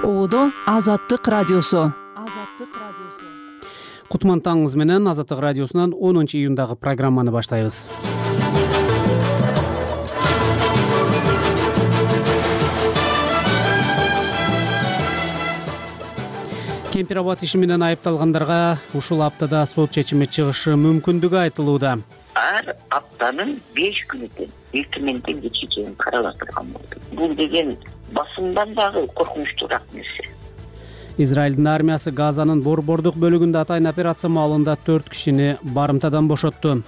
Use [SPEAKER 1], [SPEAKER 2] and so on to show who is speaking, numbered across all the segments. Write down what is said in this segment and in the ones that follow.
[SPEAKER 1] Оодо Азаттык радиосу.
[SPEAKER 2] Кутман таңыңыз менен Азаттык радиосунан 10-июндагы программаны баштайбыз. Кемпир абад иши менен айыпталгандарга ушул аптада сот чечими чыгышы мүмкүндүгү айтылууда.
[SPEAKER 3] Ар аптанын 5 күнү эртеменден кечке чейин каралып болду. Бул деген басымдан дагы коркунучтуураак нерсе.
[SPEAKER 2] Израилдин армиясы Газанын борбордук бөлүгүндө атайын операция маалында 4 кишини барымтадан бошотту.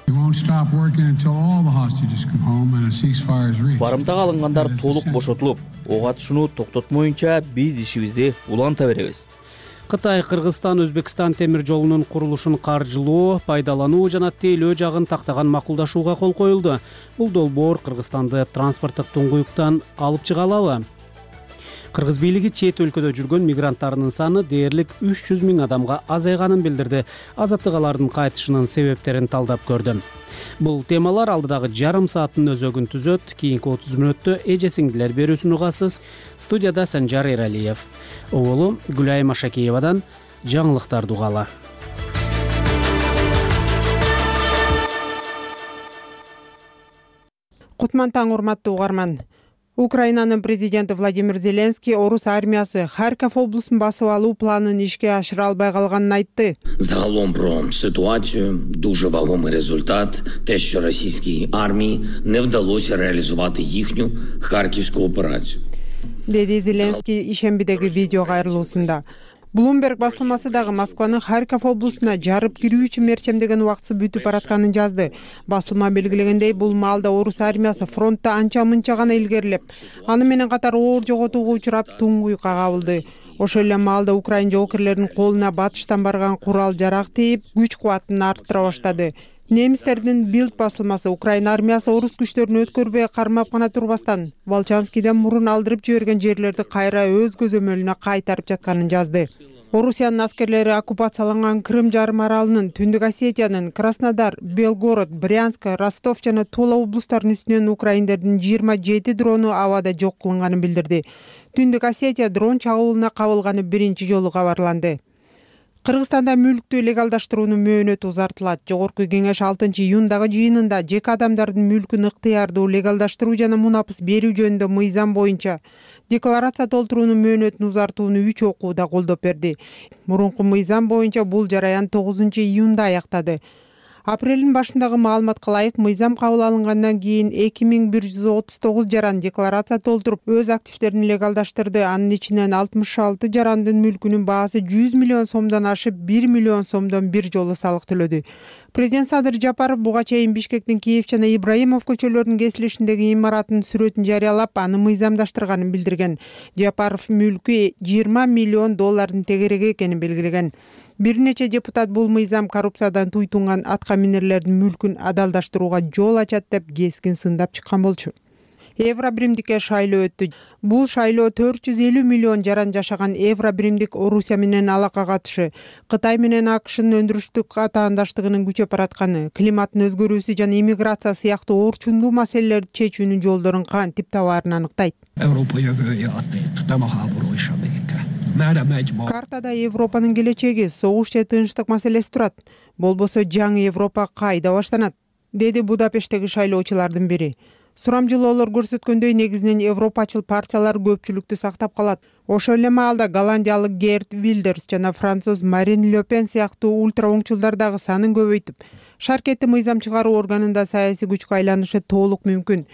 [SPEAKER 4] Барымтага алынгандар толук бошотулуп, ок атышууну токтотмоюнча биз ишибизди уланта беребиз.
[SPEAKER 2] Кытай, Кыргызстан, Өзбекстан темир жолунун курулушун каржылоо, пайдалануу жана тейлөө жагын тактаган макулдашууга кол коюлду. Бул долбоор Кыргызстанды транспорттук туңгуюктан алып чыга алабы? Кыргыз бийлиги чет өлкөдө жүргөн мигранттарынын саны дээрлик 300 миң адамга азайганын билдирди. Азаттык алардын кайтышынын себептерин талдап көрдү. Бул темалар алдыдагы жарым сааттын өзөгүн түзөт. Кийинки 30 мүнөттө эже сиңдилер берүүсүн угасыз. Студияда Санжар Эралиев. Оолу Гүлайым Ашакеевадан жаңылыктарды угалы.
[SPEAKER 5] Кутман таң, урматтуу угарман. Украинанын президенти Владимир Зеленский орус армиясы Харьков облустун басып алуу планын ишке ашыра албай калганын айтты.
[SPEAKER 6] Загалом про ситуацію дуже вагомий результат те, що російській армії не вдалося реалізувати їхню Харківську операцію.
[SPEAKER 5] Деди Зеленский ишембидеги видео кайрылуусунда. Bloomberg басылмасы дагы Москванын Харьков облусуна жарып кирүү үчүн мерчемдеген убактысы бүтүп баратканын жазды. Басылма белгилегендей, бул маалда орус армиясы фронтто анча-мынча гана илгерилеп, аны менен катар оор жоготууга учурап туңгуюкка кабылды. Ошол эле маалда Украин жоокерлеринин колуна батыштан барган курал-жарак тийип, күч-кубатын арттыра баштады. Немистердин Билд басылмасы Украин армиясы орус күчтөрүн өткөрбөй кармап гана турбастан, Волчанскийден мурун алдырып жиберген жерлерди кайра өз көзөмөлүнө кайтарып жатканын жазды. Орусиянын аскерлери оккупацияланган Крым жарым аралынын, Түндүк Осетиянын, Краснодар, Белгород, Брянск, Ростов жана Тула облустарынын үстүнөн украиндердин 27 дрону абада жок кылынганын билдирди. Түндүк Осетия дрон чагылууна кабылганы биринчи жолу кабарланды. Кыргызстанда мүлктү легалдаштыруунун мөөнөтү узартылат. Жогорку кеңеш 6-июндагы жыйынында жеке адамдардын мүлкүн ыктыярдуу легалдаштыруу жана мунапыс берүү жөнүндө мыйзам боюнча декларация толтуруунун мөөнөтүн узартууну 3 окууда колдоп берди. Мурунку мыйзам боюнча бул жараян 9-июнда аяктады. Апрелдин башындагы маалыматка ылайык, мыйзам кабыл алынгандан кийин 2139 жаран декларация толтуруп, өз активдерин легалдаштырды. Анын ичинен 66 жарандын мүлкүнүн баасы 100 миллион сомдон ашып, 1 миллион сомдон бир жолу салык төлөдү. Президент Садыр Жапаров буга чейин Бишкектин Киев жана Ибраимов көчөлөрүнүн кесилишиндеги имараттын сүрөтүн жарыялап, аны мыйзамдаштырганын билдирген. Жапаров мүлкү 20 миллион доллардын тегереги экенин белгилеген. Бир нече депутат бул мыйзам коррупциядан туйтунган атка минерлердин мүлкүн адалдаштырууга жол ачат деп кескин сындап чыккан болчу. Евробиримдикке шайлоо өттү. Бул шайлоо 450 миллион жаран жашаган Евробиримдик Орусия менен алака катышы, Кытай менен АКШнын өндүрүштүк атаандаштыгынын күчөп баратканы, климаттын өзгөрүүсү жана иммиграция сыяктуу орчундуу маселелерди чечүүнүн жолдорун кантип табаарын аныктайт. Картада Европанын келечеги, согуш же тынчтык маселеси турат. Болбосо жаңы Европа кайда баштанат, деди Будапешттеги шайлоочулардын бири. Сурамжылоолор көрсөткөндөй, негизинен европачыл партиялар көпчүлүктү сактап калат. Ошол эле маалда голландиялык Герт Вилдерс жана француз Марин Ле Пен сыяктуу ультра оңчулдар дагы санын көбөйтүп, шаркетти мыйзам чыгаруу органында саясий күчкө айланышы толук мүмкүн.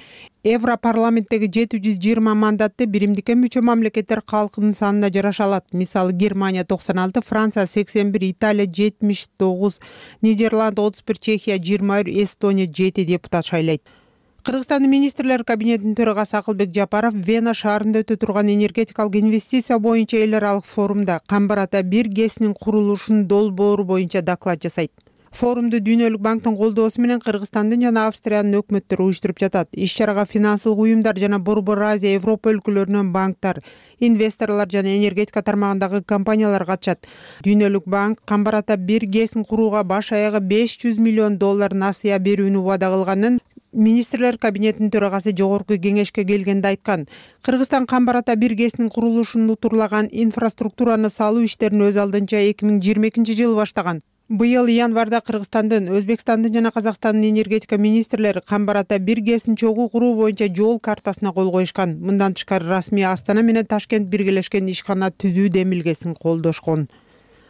[SPEAKER 5] Европарламенттеги 720 мандатты биримдикке мүчө мамлекеттер калкынын санына жараша алат. Мисалы, Германия 96, Франция 81, Италия 79, Нидерланд 31, Чехия 21, Эстония 7 депутат шайлайт. Кыргызстандын министрлер кабинетинин төрагасы Акылбек Жапаров Вена шаарында өтө турган энергетикалык инвестиция боюнча эл аралык форумда Камбар ата 1 ГЭСнин курулушунун долбоору боюнча доклад жасайт. Форумду Дүйнөлүк банктын колдоосу менен Кыргызстандын жана Австриянын өкмөттөрү уюштуруп жатат. Иш-чарага финансылык уюмдар жана Борбор Азия, Европа өлкөлөрүнөн банктар, инвесторлор жана энергетика тармагындагы компаниялар катышат. Дүйнөлүк банк Камбар ата 1 ГЭСин курууга баш аягы $500 миллион насыя берүүнү убада кылганын, министрлер кабинетинин төрагасы жогорку кеңешке келгенде айткан. Кыргызстан Камбар ата 1 ГЭСинин курулушун утурлаган инфраструктураны салуу иштерин өз алдынча 2022-жылы баштаган. Быйыл январда Кыргызстандын, Өзбекстандын жана Казакстандын энергетика министрлери Камбар ата 1 ГЭСин чогуу куруу боюнча жол картасына кол коюшкан. Мындан тышкары расмий Астана менен Ташкент биргелешкен ишкана түзүү демилгесин колдошкон.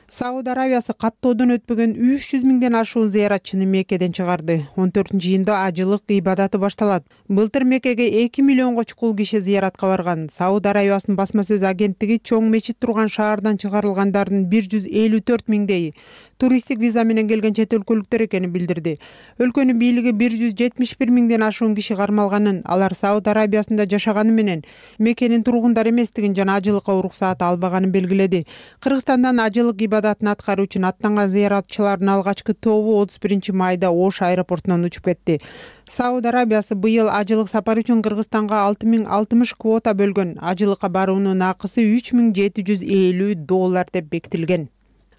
[SPEAKER 5] Сауд Арабиясы каттоодон өтпөгөн 300 миңден ашуун зыяратчыны Меккеден чыгарды. 14-июнда ажылык ибадаты башталат. Былтыр Меккеге 2 миллионго чукул киши зыяратка барган. Сауд Арабиясынын басма сөз агенттиги чоң мечит турган шаардан чыгарылгандардын 154 миңдейи туристтик виза менен келген чет өлкөлүктөр экенин билдирди. Өлкөнүн бийлиги 171 миңден ашуун киши кармалганын, алар Сауд Арабиясында жашаганы менен Меккенин тургундары эместигин жана ажылыкка уруксаат албаганын белгиледи. Кыргызстандан ажылык ибадатын аткаруу үчүн аттанган зыяратчылардын алгачкы тобу 31 майда Ош аэропортунан учуп кетти. Сауд Арабиясы быйыл ажылык сапары үчүн Кыргызстанга 6060 квота бөлгөн. Ажылыкка баруунун акысы $3750 деп бекитилген.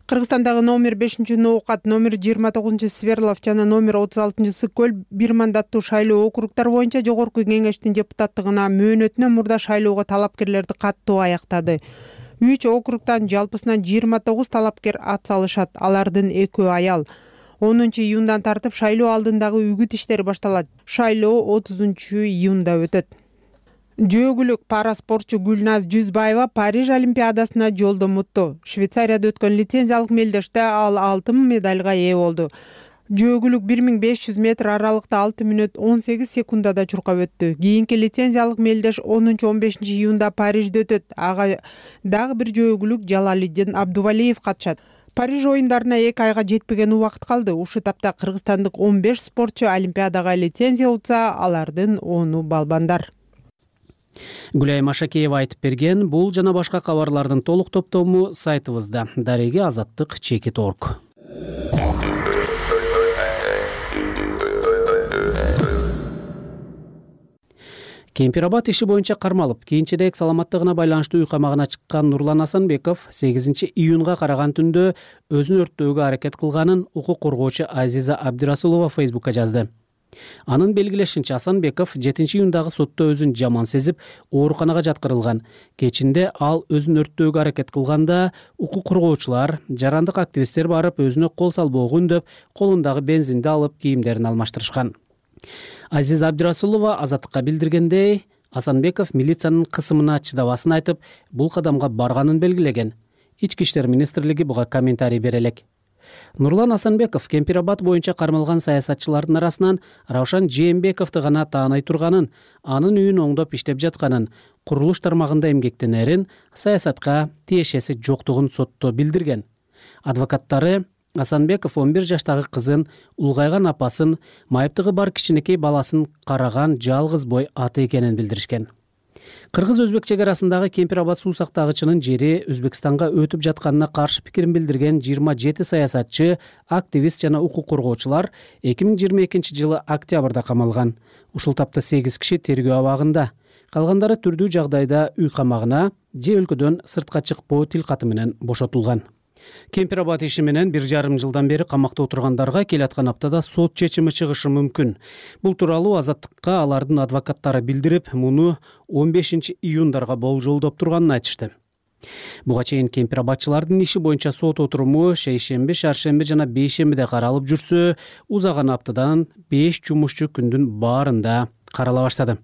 [SPEAKER 5] Кыргызстандагы номер 5-Ноокат, номер 29 Сверлов жана номер 36 Сыккөл бир мандаттуу шайлоо округдар боюнча жогорку кеңештин депутаттыгына мөөнөтүнөн мурда шайлоого талапкерлерди каттоо аяктады. 3 округдан жалпысынан 29 талапкер ат салышат, алардын 2 аял. 10-июндан тартып шайлоо алдындагы үгүт иштери башталат. Шайлоо 30-июнда өтөт. Жөөгүлүк параспортчу Гүлназ Жүзбаева Париж Олимпиадасына жолдон мутту. Швейцарияда өткөн лицензиялык мелдеште ал алтын медалга ээ болду. Жөөгүлүк 1500 метр аралыкта 6 мүнөт 18 секундада чуркап өттү. Кийинки лицензиялык мелдеш 10-15 июнда Парижде өтөт. Ага дагы бир жөөгүлүк Жалалиддин Абдувалиев катышат. Париж оюндарына 2 айга жетпеген убакыт калды. Ушу тапта кыргызстандык 15 спортчу Олимпиадага лицензия утса, алардын 10 балбандар.
[SPEAKER 2] Гүлай Машакеева айтып берген. Бул жана башка кабарлардын толук топтому сайтыбызда. Дареги Азаттык _org. Кемпирабад иши боюнча кармалып, кийинчерээк саламаттыгына байланыштуу үй камагына чыккан Нурлан Асанбеков 8 июнга караган түндө өзүн өрттөөгө аракет кылганын укук коргоочу Азиза Абдирасулова Фейсбукка жазды. Анын белгилешинче, Асанбеков 7 июндагы сотто өзүн жаман сезип, ооруканага жаткырылган. Кечинде ал өзүн өрттөөгө аракет кылганда, укук коргоочулар, жарандык активисттер барып өзүнө кол салбоого үндөп, колундагы бензинди алып, кийимдерин алмаштырышкан. Азиза Абдирасулова Азаттыкка билдиргендей, Асанбеков милициянын кысымына чыдабасын айтып, бул кадамга барганын белгилеген. Ички иштер министрлиги буга комментарий бере элек. Нурлан Асанбеков Кемпирабад боюнча кармалган саясатчылардын арасынан Раушан Жээнбековду гана таанай турганын, анын үйүн оңдоп иштеп жатканын, курулуш тармагында эмгектенерин, саясатка тиешеси жоктугун сотто билдирген. Адвокаттары Асанбеков 11 жаштагы кызын, улгайган апасын, майыптыгы бар кичинекей баласын караган жалгыз бой аты экенин билдиришкен. Кыргыз-өзбек чегарасындагы Кемпирабад суу сактагычынын жери Өзбекстанга өтүп жатканына каршы пикирин билдирген 27 саясатчы, активист жана укук коргоочулар 2022 жылы октябрда камалган. Ушул тапта 8 киши тергөө абагында. Калгандары түрдүү жагдайда үй камагына же өлкөдөн сыртка чыкпоо тилкаты менен бошотулган. Кемпирабад иши менен 1,5 жылдан бери камакта отургандарга келаткан аптада сот чечими чыгышы мүмкүн. Бул тууралуу Азаттыкка алардын адвокаттары билдирип, муну 15 июндарга болжолдоп турганын айтышты. Буга чейин кемпирабадчылардын иши боюнча сот отуруму шейшемби, шаршемби жана бейшембиде каралып жүрсө, узаган аптадан 5 жумушчу күндүн баарында карала баштады.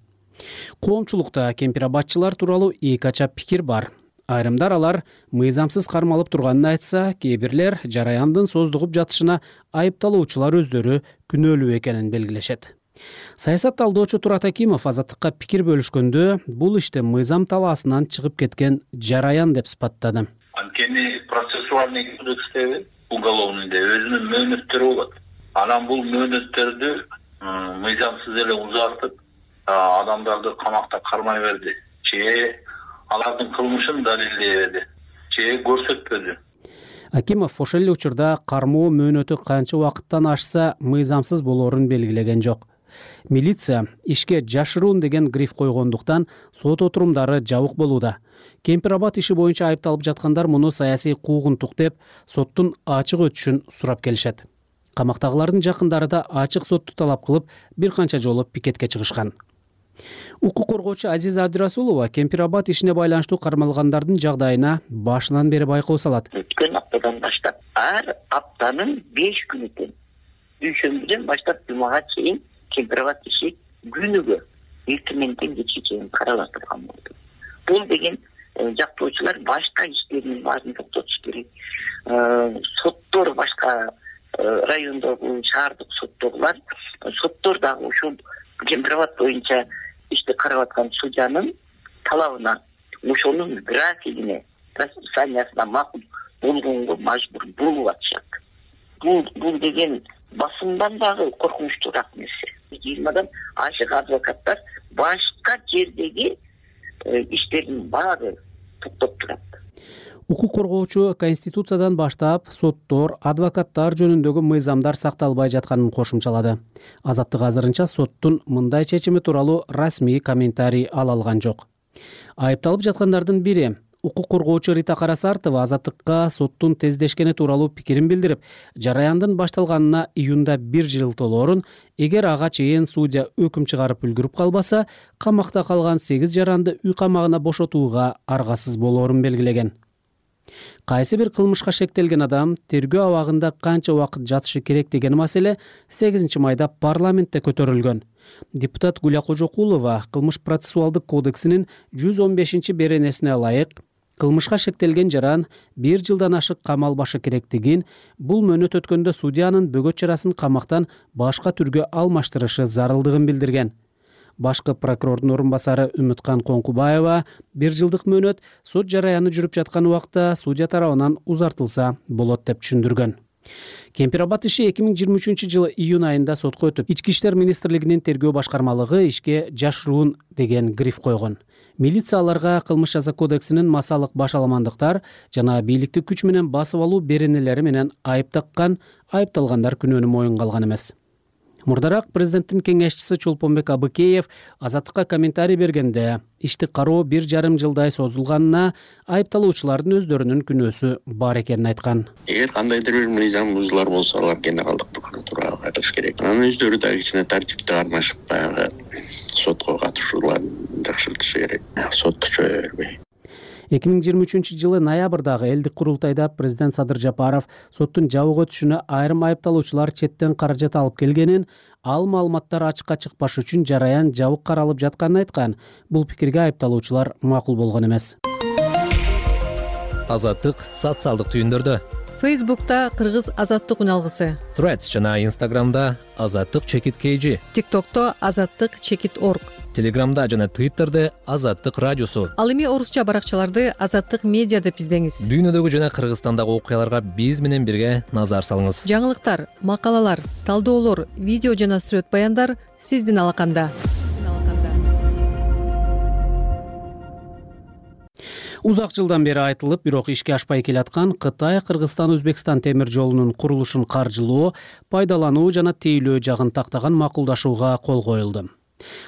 [SPEAKER 2] Коомчулукта кемпирабадчылар тууралуу эки ача пикир бар. Айрымдар алар мыйзамсыз кармалып турганын айтса, кээ бирлер жараяндын создугуп жатышына айыпталуучулар өздөрү күнөөлүү экенин белгилешет. Саясат талдоочу Турат Акимов Азаттыкка пикир бөлүшкөндө бул иште мыйзам талаасынан чыгып кеткен жараян деп сыпаттады.
[SPEAKER 7] Анткени процессуальный кодекстеги уголовныйда өзүнүн мөөнөттөрү болот. Анан бул мөөнөттөрдү мыйзамсыз эле узартып, адамдарды камакта кармай берди. Же алардын кылмышын далилдебеди, же көрсөтпөдү.
[SPEAKER 2] Акимов ошол эле учурда кармоо мөөнөтү канча убакыттан ашса мыйзамсыз болоорун белгилеген жок. Милиция ишке жашыруун деген гриф койгондуктан сот отурумдары жабык болууда. Кемпирабад иши боюнча айыпталып жаткандар муну саясий куугунтук деп соттун ачык өтүшүн сурап келишет. Камактагылардын жакындары да ачык сотту талап кылып, бир канча жолу пикетке чыгышкан. Укук коргоочу Азиза Абдырасулова Кемпир-Абад ишине байланыштуу кармалгандардын жагдайына башынан бери байкоо салат.
[SPEAKER 3] Өткөн аптадан баштап ар аптанын 5 күнүдөн дүйшөмбүдөн баштап жумага чейин Кемпир-Абад иши күнүгө 2 миңден кечке чейин каралатылган болду. Бул деген жактоочулар башка иштердин баарын токтотуш керек. Соттор башка райондогу, шаардык соттогулар, соттор дагы ушул Кемпир-Абад боюнча ишти карап аткан судьянын талабына, ошонун графигине, расписаниясына макул болгонго мажбур болуп атышат. Бул деген басымдан дагы коркунучтуураак нерсе. 20 ашык адвокаттар башка жердеги иштердин баары токтоп турат.
[SPEAKER 2] Укук коргоочу Конституциядан баштап соттор, адвокаттар жөнүндөгү мыйзамдар сакталбай жатканын кошумчалады. Азаттык азырынча соттун мындай чечими тууралуу расмий комментарий ала алган жок. Айыпталып жаткандардын бири укук коргоочу Рита Карасартова Азаттыкка соттун тездешкени тууралуу пикирин билдирип, жараяндын башталганына июнда 1 жыл толоорун, эгер ага чейин судья өкүм чыгарып үлгүрүп калбаса, камакта калган 8 жаранды үй камагына бошотууга аргасыз болоорун белгилеген. Кайсы бир кылмышка шектелген адам тергөө абагында канча убакыт жатышы керек деген маселе 8 майда парламентте көтөрүлгөн. Депутат Гүлия Кожокулова кылмыш процессуалдык кодексинин 115 беренесине ылайык кылмышка шектелген жаран 1 жылдан ашык камалбашы керектигин, бул мөөнөт өткөндө судьянын бөгөт чарасын камактан башка түргө алмаштырышы зарылдыгын билдирген. Башкы прокурордун орун басары Үмүткан Коңкубаева 1 жылдык мөөнөт сот жараяны жүрүп жаткан убакта судья тарабынан узартылса болот деп түшүндүргөн. Кемпир-Абад иши 2023 жылы июнь айында сотко өтүп, Ички иштер министрлигинин тергөө башкармалыгы ишке жашыруун деген гриф койгон. Милиция аларга кылмыш жаза кодексинин масалык башаламандыктар жана бийликти күч менен басып алуу беренелери менен айып таккан, айыпталгандар күнөөнү моюнга алган эмес. Мурдараак президенттин кеңешчиси Чолпонбек Абыкеев Азаттыкка комментарий бергенде, ишти кароо 1,5 жылдай созулганына айыпталуучулардын өздөрүнүн күнөөсү бар экенин айткан.
[SPEAKER 8] Эгер кандайдыр бир мыйзам бузулар болсо, алар генералдык прокуратурага кайтыш керек. Анын өздөрү да кичине тартипти кармашып, баягы сотко катышууларын жакшыртышы керек. Сотто чөйө бербей.
[SPEAKER 2] 2023 жылы ноябрдагы элдик курултайда президент Садыр Жапаров соттун жабык өтүшүнө айрым айыпталуучулар четтен каражат алып келгенин, ал маалыматтар ачыкка чыкпаш үчүн жараян жабык каралып жатканын айткан. Бул пикирге айыпталуучулар макул болгон эмес.
[SPEAKER 9] Азаттык социалдык түйүндөрдө.
[SPEAKER 10] Facebook'ta Кыргыз Азаттык уналгысы.
[SPEAKER 9] Threads жана Instagram'da Азаттык чекит KG.
[SPEAKER 10] TikTok'то Азаттык чекит org.
[SPEAKER 9] Telegram'da жана Twitter'де Азаттык радиосу.
[SPEAKER 10] Ал эми орусча баракчаларды Азаттык медиа деп издеңиз.
[SPEAKER 9] Дүйнөдөгү жана Кыргызстандагы окуяларга биз менен бирге назар салыңыз.
[SPEAKER 10] Жаңылыктар, макалалар, талдоолор, видео жана сүрөт баяндар сиздин алаканда.
[SPEAKER 2] Узак жылдан бери айтылып, бирок ишке ашпай келаткан Кытай-Кыргызстан-Өзбекстан темир жолунун курулушун каржылоо, пайдалануу жана тейлөө жагын тактаган макулдашууга кол коюлду.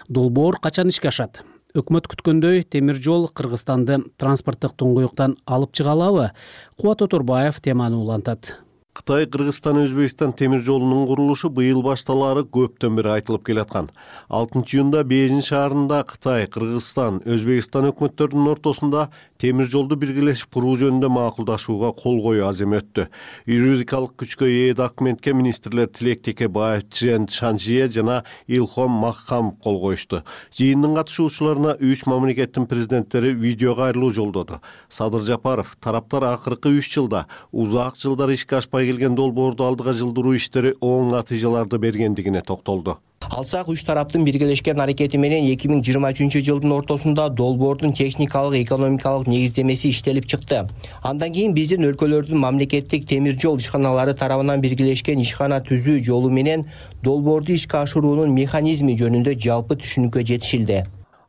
[SPEAKER 2] Долбоор качан ишке ашат? Өкмөт күткөндөй темир жол Кыргызстанды транспорттук туңгуюктан алып чыга алабы? Кубат Оторбаев теманы улантат.
[SPEAKER 11] Кытай, Кыргызстан, Өзбекстан темир жолунун курулушу быйыл башталары көптөн бери айтылып келаткан. 6-июнда Бейжин шаарында Кытай, Кыргызстан, Өзбекстан өкмөттөрүнүн ортосунда темир жолду биргелешип куруу жөнүндө макулдашууга кол коюу аземи өттү. Юридикалык күчкө ээ документке министрлер Тилек Текебаев, Чжэн Шанжие жана Илхом Махкамов кол коюшту. Жыйындын катышуучуларына 3 мамлекеттин президенттери видео кайрылуу жолдоду. Садыр Жапаров тараптар акыркы 3 жылда узак жылдар ишке ашпай келген долбоорду алдыга жылдыруу иштери оң натыйжаларды бергендигине токтолду.
[SPEAKER 12] Алсак, үч тараптын биргелешкен аракети менен 2023 жылдын ортосунда долбоордун техникалык, экономикалык негиздемеси иштелип чыкты. Андан кийин биздин өлкөлөрдүн мамлекеттик темир жол ишканалары тарабынан биргелешкен ишкана түзүү жолу менен долбоорду ишке ашыруунун механизми жөнүндө жалпы түшүнүккө жетишилди.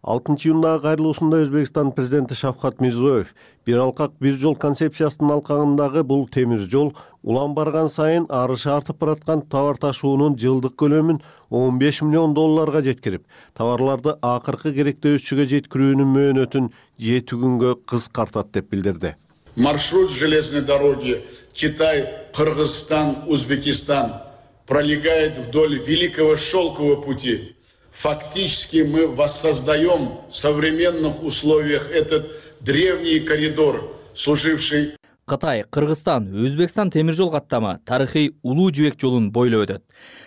[SPEAKER 11] 6-июндагы кайрылуусунда Өзбекстан президенти Шавкат Мирзиёев бир алкак бир жол концепциясынын алкагындагы бул темир жол улам барган сайын арышы артып бараткан товар ташуунун жылдык көлөмүн $15 миллион жеткирип, товарларды акыркы керектөөчүгө жеткирүүнүн мөөнөтүн 7 күнгө кыскартат деп билдирди.
[SPEAKER 13] Маршрут железной дороги Китай, Кыргызстан, Узбекистан пролегает вдоль Великого Шелкового пути. Фактически мы воссоздаем в современных условиях этот древний коридор, служивший...
[SPEAKER 4] Кытай, Кыргызстан, Өзбекстан темир жол каттамы тарыхый улуу жибек жолун бойлоп өтөт.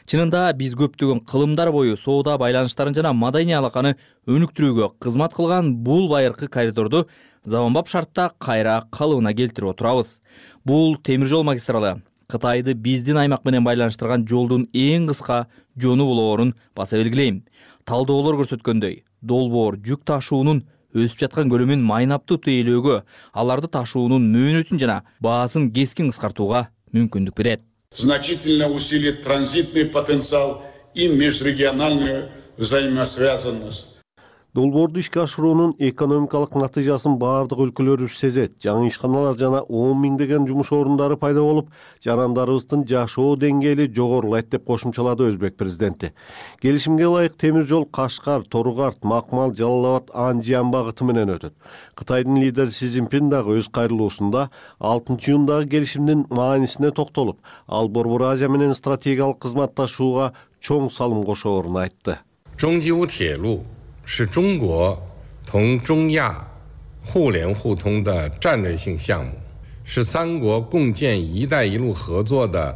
[SPEAKER 4] Чынында биз көптөгөн кылымдар бою соода байланыштарын жана маданий алаканы өнүктүрүүгө кызмат кылган бул байыркы коридорду заманбап шартта кайра калыбына келтирип отурабыз. Бул темир жол магистралы Кытайды биздин аймак менен байланыштырган жолдун эң кыска жону болоорун баса белгилейм. Талдоолор көрсөткөндөй, долбоор жүк ташуунун өсүп жаткан көлөмүн майнаптуу тейлөөгө, аларды ташуунун мөөнөтүн жана баасын кескин кыскартууга мүмкүндүк берет.
[SPEAKER 13] Значительно усилит транзитный потенциал и межрегиональную взаимосвязанность.
[SPEAKER 11] Долбоорду ишке ашыруунун экономикалык натыйжасын баардык өлкөлөрүбүз сезет. Жаңы ишканалар жана 10 миңдеген жумуш орундары пайда болуп, жарандарыбыздын жашоо деңгээли жогорулайт деп кошумчалады Өзбек президенти. Келишимге ылайык темир жол Кашкар, Торугарт, Макмал, Жалал Абад, Анжиан багыты менен өтөт. Кытайдын лидери Си Цзиньпин дагы өз кайрылуусунда 6-июндагы келишимдин маанисине токтолуп, ал Борбор Азия менен стратегиялык кызматташууга чоң салым кошоорун айтты.
[SPEAKER 14] 是中国同中亚互联互通的战略性项目，是三国共建“一带一路”合作的。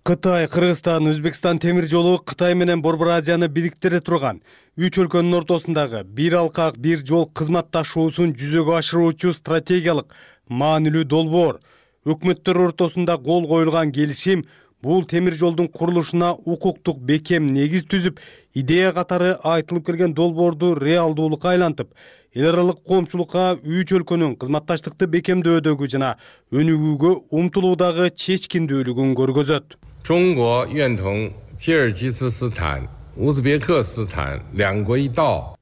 [SPEAKER 2] Кытай, Кыргызстан, Өзбекстан темир жолу Кытай менен Борбор Азияны бириктире турган үч өлкөнүн ортосундагы бир алкак, бир жол кызматташуусун жүзөгө ашыруучу стратегиялык маанилүү долбоор. Өкмөттөр ортосунда кол коюлган келишим бул темир жолдун курулушуна укуктук бекем негиз түзүп, идея катары айтылып келген долбоорду реалдуулукка айлантып, эл аралык коомчулукка үч өлкөнүн кызматташтыкты бекемдөөдөгү жана өнүгүүгө умтулуудагы чечкиндүүлүгүн көргөзөт.
[SPEAKER 14] 中国愿同吉尔吉斯斯坦、乌兹别克斯坦两国一道。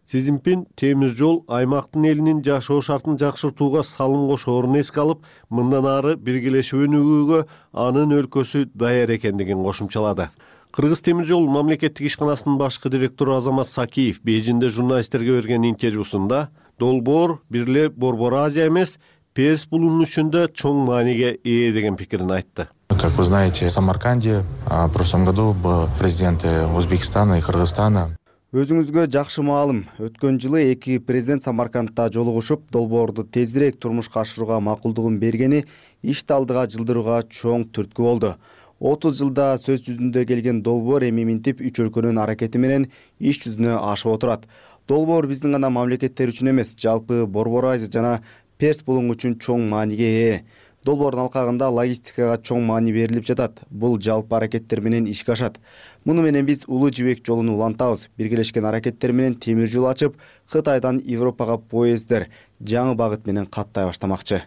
[SPEAKER 11] Си Цзиньпин темир жол аймактын элинин жашоо шартын жакшыртууга салым кошоорун эске алып, мындан ары биргелешип өнүгүүгө анын өлкөсү даяр экендигин кошумчалады. Кыргыз темир жол мамлекеттик ишканасынын башкы директору Азамат Сакиев Бейжиңде журналисттерге берген интервьюсунда долбоор бир эле Борбор Азия эмес, Перс булунун ичинде чоң мааниге ээ деген пикирин айтты.
[SPEAKER 15] Как вы знаете, в Самарканде в прошлом году был президенты Узбекистана и Кыргызстана.
[SPEAKER 16] Өзүңүзгө жакшы маалым. Өткөн жылы эки президент Самаркандта жолугушуп, долбоорду тезирээк турмушка ашырууга макулдугун бергени ишти алдыга жылдырууга чоң түрткү болду. 30 жылда сөз жүзүндө келген долбоор эми минтип үч өлкөнүн аракети менен иш жүзүнө ашып отурат. Долбоор биздин гана мамлекеттер үчүн эмес, жалпы Борбор Азия жана Перс булуң үчүн чоң мааниге ээ. Долбоордун алкагында логистикага чоң маани берилип жатат. Бул жалпы аракеттер менен ишке ашат. Муну менен биз улуу жибек жолун улантабыз. Биргелешкен аракеттер менен темир жол ачып, Кытайдан Европага поезддер жаңы багыт менен каттай баштамакчы.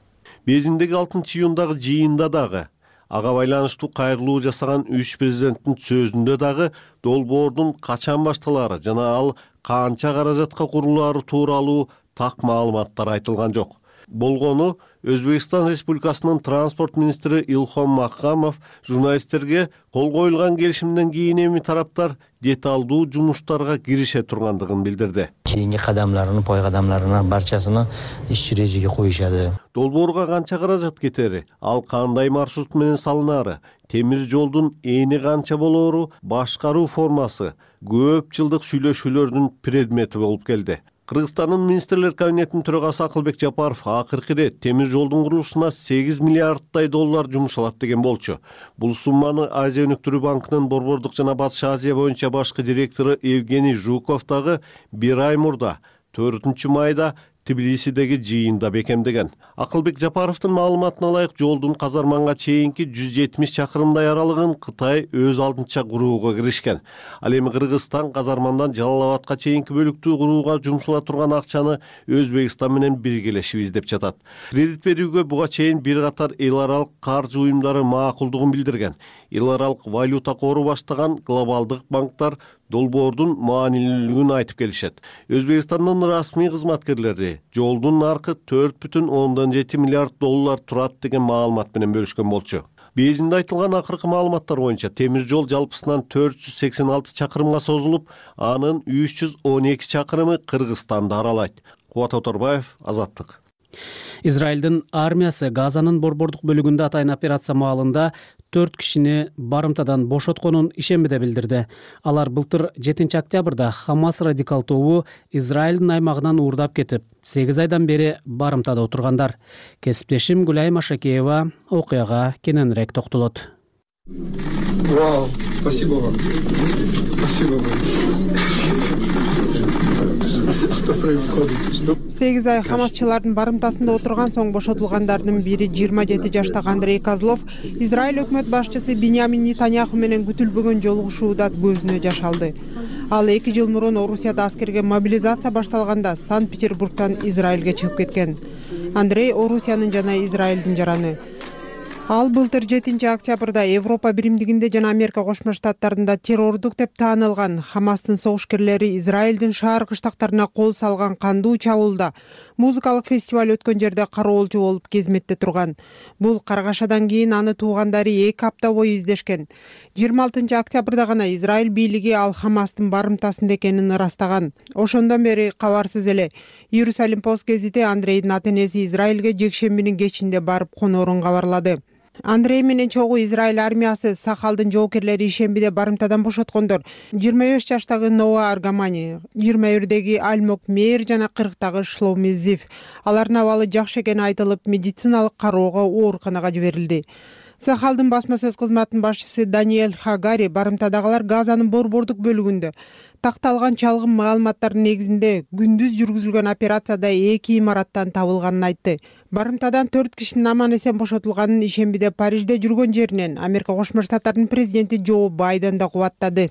[SPEAKER 11] Бейжиңдеги 6-июндагы жыйында дагы ага байланыштуу кайрылуу жасаган үч президенттин сөзүндө дагы долбоордун качан башталары жана ал канча каражатка курулаары тууралуу так маалыматтар айтылган жок. Болгону Өзбекстан Республикасынын транспорт министри Илхом Макхамов журналисттерге кол коюлган келишимден кийин эми тараптар деталдуу жумуштарга кирише тургандыгын билдирди.
[SPEAKER 17] Кийинки кадамларын, пой кадамларынын барчасын иш чирежеге коюшады.
[SPEAKER 11] Долбоорго канча каражат кетери, ал кандай маршрут менен салынары, темир жолдун эни канча болоору, башкаруу формасы көп жылдык сүйлөшүүлөрдүн предмети болуп келди. Кыргызстандын министрлер кабинетинин төрагасы Акылбек Жапаров акыркы ирет темир жолдун курулушуна 8 миллиардтай доллар жумшалат деген болчу. Бул сумманы Азия өнүктүрүү банкынын Борбордук жана Батыш Азия боюнча башкы директору Евгений Жуков дагы бир ай мурда 4-майда Тбилисидеги жыйында бекемдеген. Акылбек Жапаровдун маалыматына ылайык жолдун Казарманга чейинки 170 чакырымдай аралыгын Кытай өз алдынча курууга киришкен. Ал эми Кыргызстан Казармандан Жалал Абадка чейинки бөлүктү курууга жумшула турган акчаны Өзбекстан менен биргелешип издеп жатат. Кредит берүүгө буга чейин бир катар эл аралык каржы уюмдары макулдугун билдирген. Эл аралык валюта кору баштаган глобалдык банктар долбоордун маанилүүлүгүн айтып келишет. Өзбекстандын расмий кызматкерлери жолдун наркы 4,7 миллиард доллар турат деген маалымат менен бөлүшкөн болчу. Бейжиңде айтылган акыркы маалыматтар боюнча темир жол жалпысынан 486 чакырымга созулуп, анын 312 чакырымы Кыргызстанды аралайт. Кубат Оторбаев, Азаттык.
[SPEAKER 2] Израилдин армиясы Газанын борбордук бөлүгүндө атайын операция маалында 4 кишини барымтадан бошотконун ишембиде билдирди. Алар былтыр 7 октябрда Хамас радикал тобу Израилдин аймагынан уурдап кетип, 8 айдан бери барымтада отургандар. Кесиптешим Гүлай Машакеева окуяга кененирээк токтолот.
[SPEAKER 18] Вау, спасибо вам. Спасибо вам. Что происходит?
[SPEAKER 5] 8 ай хамасчылардын барымтасында отурган соң бошотулгандардын бири 27 жаштагы Андрей Козлов Израиль өкмөт башчысы Биньямин Нетаньяху менен күтүлбөгөн жолугушууда көзүнө жаш алды. Ал 2 жыл мурун Орусияда аскерге мобилизация башталганда Санкт-Петербургтан Израилге чыгып кеткен. Андрей Орусиянын жана Израилдин жараны. Ал былтыр 7 октябрда Европа биримдигинде жана Америка Кошмо Штаттарында террордук деп таанылган Хамастын согушкерлери Израилдин шаар кыштактарына кол салган кандуу чабуулда музыкалык фестиваль өткөн жерде кароолчу болуп кезметте турган. Бул каргашадан кийин аны туугандары 2 апта бою издешкен. 26 октябрда гана Израиль бийлиги ал Хамастын барымтасында экенин ырастаган. Ошондон бери кабарсыз эле. Иерусалим пост гезити Андрейдин ата-энеси Израилге жекшембинин кечинде барып коноорун кабарлады. Андрей менен чогуу Израиль армиясы Сахалдын жоокерлери ишембиде барымтадан бошоткондор 25 жаштагы Ноа Аргамани, 21деги Альмок Мейер жана 40дагы Шломи Зив. Алардын абалы жакшы экени айтылып, медициналык кароого ооруканага жиберилди. Сахалдын басма сөз кызматынын башчысы Даниэль Хагари барымтадагылар Газанын борбордук бөлүгүндө такталган чалгын маалыматтардын негизинде күндүз жүргүзүлгөн операцияда 2 имараттан табылганын айтты. Барымтадан 4 кишинин аман эсен бошотулганын ишембиде Парижде жүргөн жеринен Америка Кошмо Штаттарынын президенти Джо Байден да кубаттады.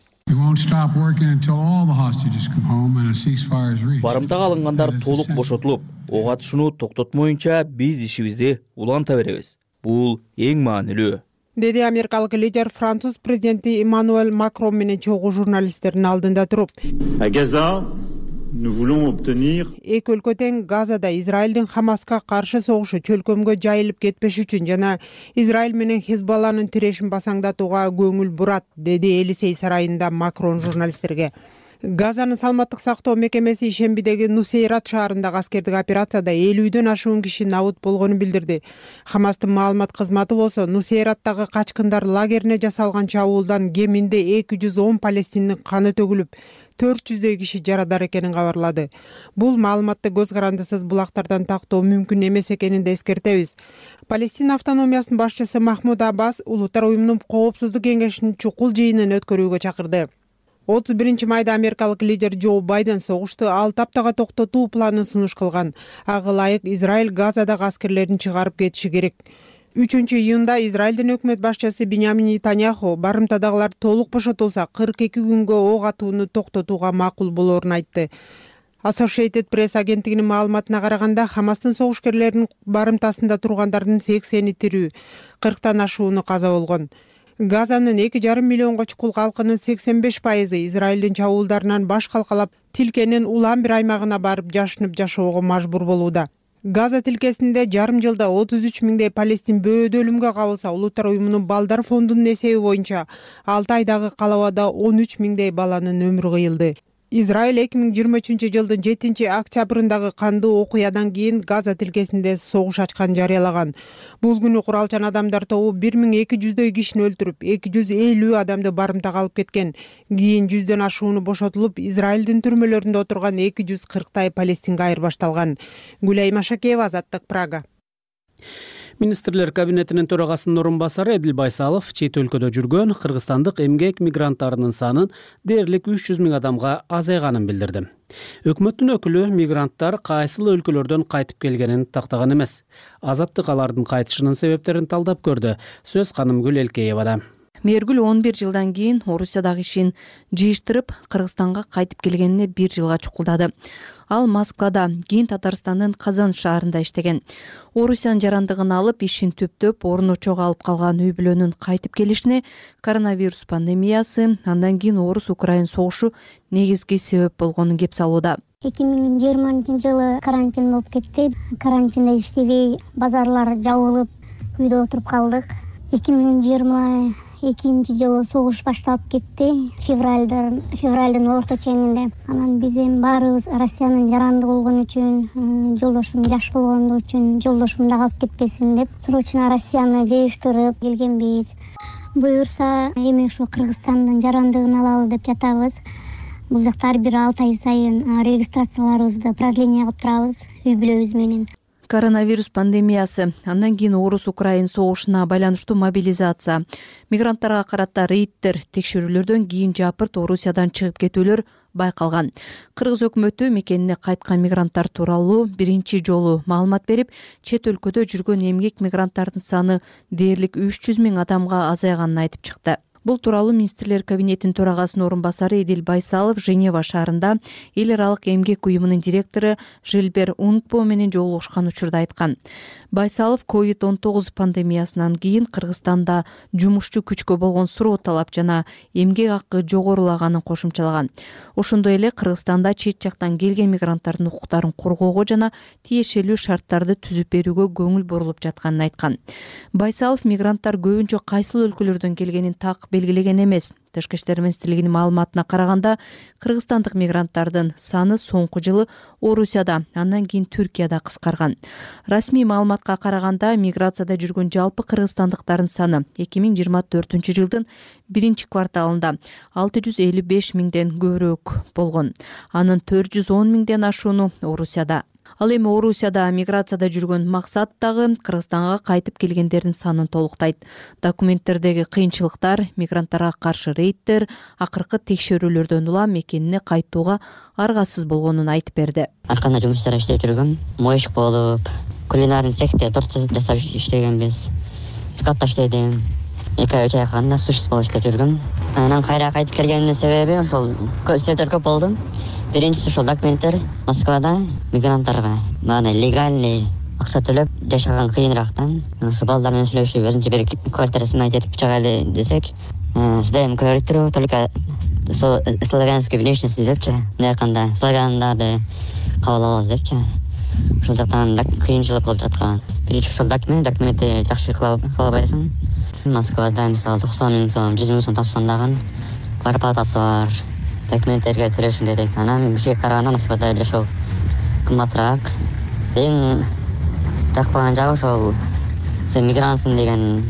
[SPEAKER 4] Барымтага алынгандар толук бошотулуп, ок атышууну токтотмоюнча биз ишибизди уланта беребиз. Бул эң маанилүү,
[SPEAKER 5] деди америкалык лидер француз президенти Эммануэль Макрон менен чогуу журналисттердин алдында туруп. Эки өлкө тең Газада Израилдин Хамаска каршы согушу чөлкөмгө жайылып кетпеш үчүн жана Израиль менен Хизбалланын тирешин басаңдатууга көңүл бурат, деди Элисей сарайында Макрон журналисттерге. Газанын саламаттык сактоо мекемеси ишембидеги Нусейрат шаарындагы аскердик операцияда 50дөн ашуун киши набыт болгонун билдирди. Хамастын маалымат кызматы болсо Нусейраттагы качкындар лагерине жасалган чабуулдан кеминде 210 палестиндин каны төгүлүп, 400дөй киши жарадар экенин кабарлады. Бул маалыматты көз карандысыз булактардан тактоо мүмкүн эмес экенин да эскертебиз. Палестина автономиясынын башчысы Махмуд Аббас Улуттар уюмунун коопсуздук кеңешинин чукул жыйынын өткөрүүгө чакырды. 31 майда америкалык лидер Джо Байден согушту 6 аптага токтотуу планын сунуш кылган. Ага ылайык Израиль Газадагы аскерлерин чыгарып кетиши керек. 3-июнда Израилдин өкмөт башчысы Биньямин Нетаньяху барымтадагылар толук бошотулса 42 күнгө ок атууну токтотууга макул болоорун айтты. Associated Press агенттигинин маалыматына караганда Хамастын согушкерлеринин барымтасында тургандардын 80-и тирүү, 40тан ашууну каза болгон. Газанын 2,5 миллионго чукул калкынын 85% Израилдин чабуулдарынан баш калкалап, тилкенин улам бир аймагына барып жашынып жашоого мажбур болууда. Газа тилкесинде жарым жылда 33 миңдей палестин бөөдө өлүмгө кабылса, Улуттар уюмунун балдар фондунун эсеби боюнча 6 айдагы калабада 13 миңдей баланын өмүрү кыйылды. Израиль 2023 жылдын 7 октябрындагы кандуу окуядан кийин Газа тилкесинде согуш ачкан жарыялаган. Бул күнү куралчан адамдар тобу 1200дөй кишини өлтүрүп, 250 адамды барымтага алып кеткен. Кийин 100дөн ашууну бошотулуп, Израилдин түрмөлөрүндө отурган 240тай палестинге айырбашталган. Гүлай Машакеева, Азаттык, Прага.
[SPEAKER 2] Министрлер кабинетинин төрагасынын орун басары Эдил Байсалов чет өлкөдө жүргөн кыргызстандык эмгек мигранттарынын санын дээрлик 300 миң адамга азайганын билдирди. Өкмөттүн өкүлү мигранттар кайсыл өлкөлөрдөн кайтып келгенин тактаган эмес. Азаттык алардын кайтышынын себептерин талдап көрдү. Сөз Канымгүл Элкеевада.
[SPEAKER 19] Мээргүл 11 жылдан кийин Орусиядагы ишин жыйыштырып, Кыргызстанга кайтып келгенине 1 жылга чукулдады. Ал Москвада, кийин Татарстандын Казан шаарында иштеген. Орусиянын жарандыгын алып, ишин төптөп, орун очого алып калган үй бүлөнүн кайтып келишине коронавирус пандемиясы, андан кийин Орус-Украин согушу негизги себеп болгонун кеп салууда.
[SPEAKER 20] 2020 жылы карантин болуп кетти. Карантинде иштебей, базарлар жабылып, үйдө отуруп калдык. 2021 экинчи жылы согуш башталып кетти. Февралдын орто ченинде. Анан биз эми баарыбыз Россиянын жаранды болгон үчүн, жолдошум жаш болгондугу үчүн жолдошум да калып кетпесин деп срочно Россияны жыйыштырып келгенбиз. Буюрса эми ушу Кыргызстандын жарандыгын алалы деп жатабыз. Бул жакта ар бир 6 ай сайын регистрацияларыбызды продление кылып турабыз үй бүлөбүз менен.
[SPEAKER 19] Коронавирус пандемиясы, андан кийин Орус-Украин согушуна байланыштуу мобилизация, мигранттарга карата рейдтер, текшерүүлөрдөн кийин жапырт Орусиядан чыгып кетүүлөр байкалган. Кыргыз өкмөтү мекенине кайткан мигранттар тууралуу биринчи жолу маалымат берип, чет өлкөдө жүргөн эмгек мигранттардын саны дээрлик 300 000 адамга азайганын айтып чыкты. Бул тууралуу министрлер кабинетинин төрагасынын орун басары Эдил Байсалов Женева шаарында эл аралык эмгек уюмунун директору Жилбер Ункпо менен жолугушкан учурда айткан. Байсалов COVID-19 пандемиясынан кийин Кыргызстанда жумушчу күчкө болгон суроо талап жана эмгек акы жогорулаганын кошумчалаган. Ошондой эле Кыргызстанда чет жактан келген мигранттардын укуктарын коргоого жана тиешелүү шарттарды түзүп берүүгө көңүл бурулуп жатканын айткан. Байсалов мигранттар көбүнчө кайсыл өлкөлөрдөн келгенин так белгилеген эмес. Тышкы иштер министрлигинин маалыматына караганда, кыргызстандык мигранттардын саны соңку жылы Орусияда, андан кийин Түркияда кыскарган. Расмий маалыматка караганда, миграцияда жүргөн жалпы кыргызстандыктардын саны 2024 жылдын биринчи кварталында 655 000ден көбүрөөк болгон. Анын 410 000ден ашууну Орусияда. Ал эми Орусияда миграцияда жүргөн максат дагы Кыргызстанга кайтып келгендердин санын толуктайт. Документтердеги кыйынчылыктар, мигранттарга каршы рейдтер, акыркы текшерүүлөрдөн улам мекенине кайтууга аргасыз болгонун айтып берди.
[SPEAKER 21] Ар кандай жумуштар иштеп жүргөм. Моечк болуп, кулинарный цехте торт жасап иштегенбиз. Скатта иштедим. 2 ай 3 ай калганда сушист болуп иштеп жүргөм. Анан кайра кайтып келгениmin себеби ошол көзөтөр көп болду. Биринчиси ошол документтер Москвада мигранттарга мына легальный акча төлөп жашаган кыйынырактан. Ошо балдар менен сүйлөшүп, өзүнчө бир квартира снимать этип чыгайлы десек, сдаем квартиру, только славянскую внешность депчи, мынаканда славяндарды кабыл алабыз депчи. Ошол жактан кыйынчылык болуп жаткан. Биринчи ошол документти жакшы кыла албайсың. Москвада мисалы 90 000 сом, 100 000 сом тапсаң дагы квартплатасы бар. Документтерге төлөшүң керек. Анан бизге караганда Москвада жашоо кымбатыраак. Эң жакпаган жагы ошол сен мигрантсың деген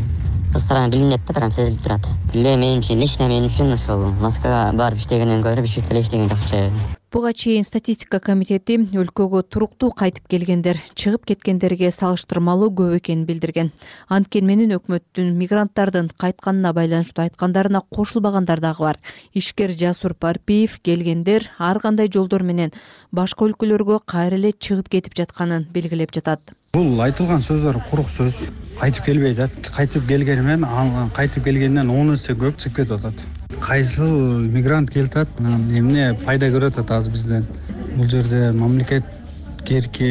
[SPEAKER 21] кыздардан билинет да, прям сезилип турат. Мен үчүн, лично мен үчүн ошол Москвага барып иштегенден көрө бишкекте иштеген жакшы.
[SPEAKER 19] Буга чейин статистика комитети өлкөгө туруктуу кайтып келгендер чыгып кеткендерге салыштырмалуу көп экенин билдирген. Анткени менен өкмөттүн мигранттардын кайтканына байланыштуу айткандарына кошулбагандар дагы бар. Ишкер Жасур Парпиев келгендер ар кандай жолдор менен башка өлкөлөргө кайра эле чыгып кетип жатканын белгилеп жатат.
[SPEAKER 22] Бул айтылган сөздөр курук сөз. Кайтып келбей атат. Кайтып келгени менен кайтып келгенден 10 эсе көп чыгып кетип атат. Кайсыл мигрант келип атат, эмне пайда көрүп атат азыр бизден. Бул жерде мамлекет керки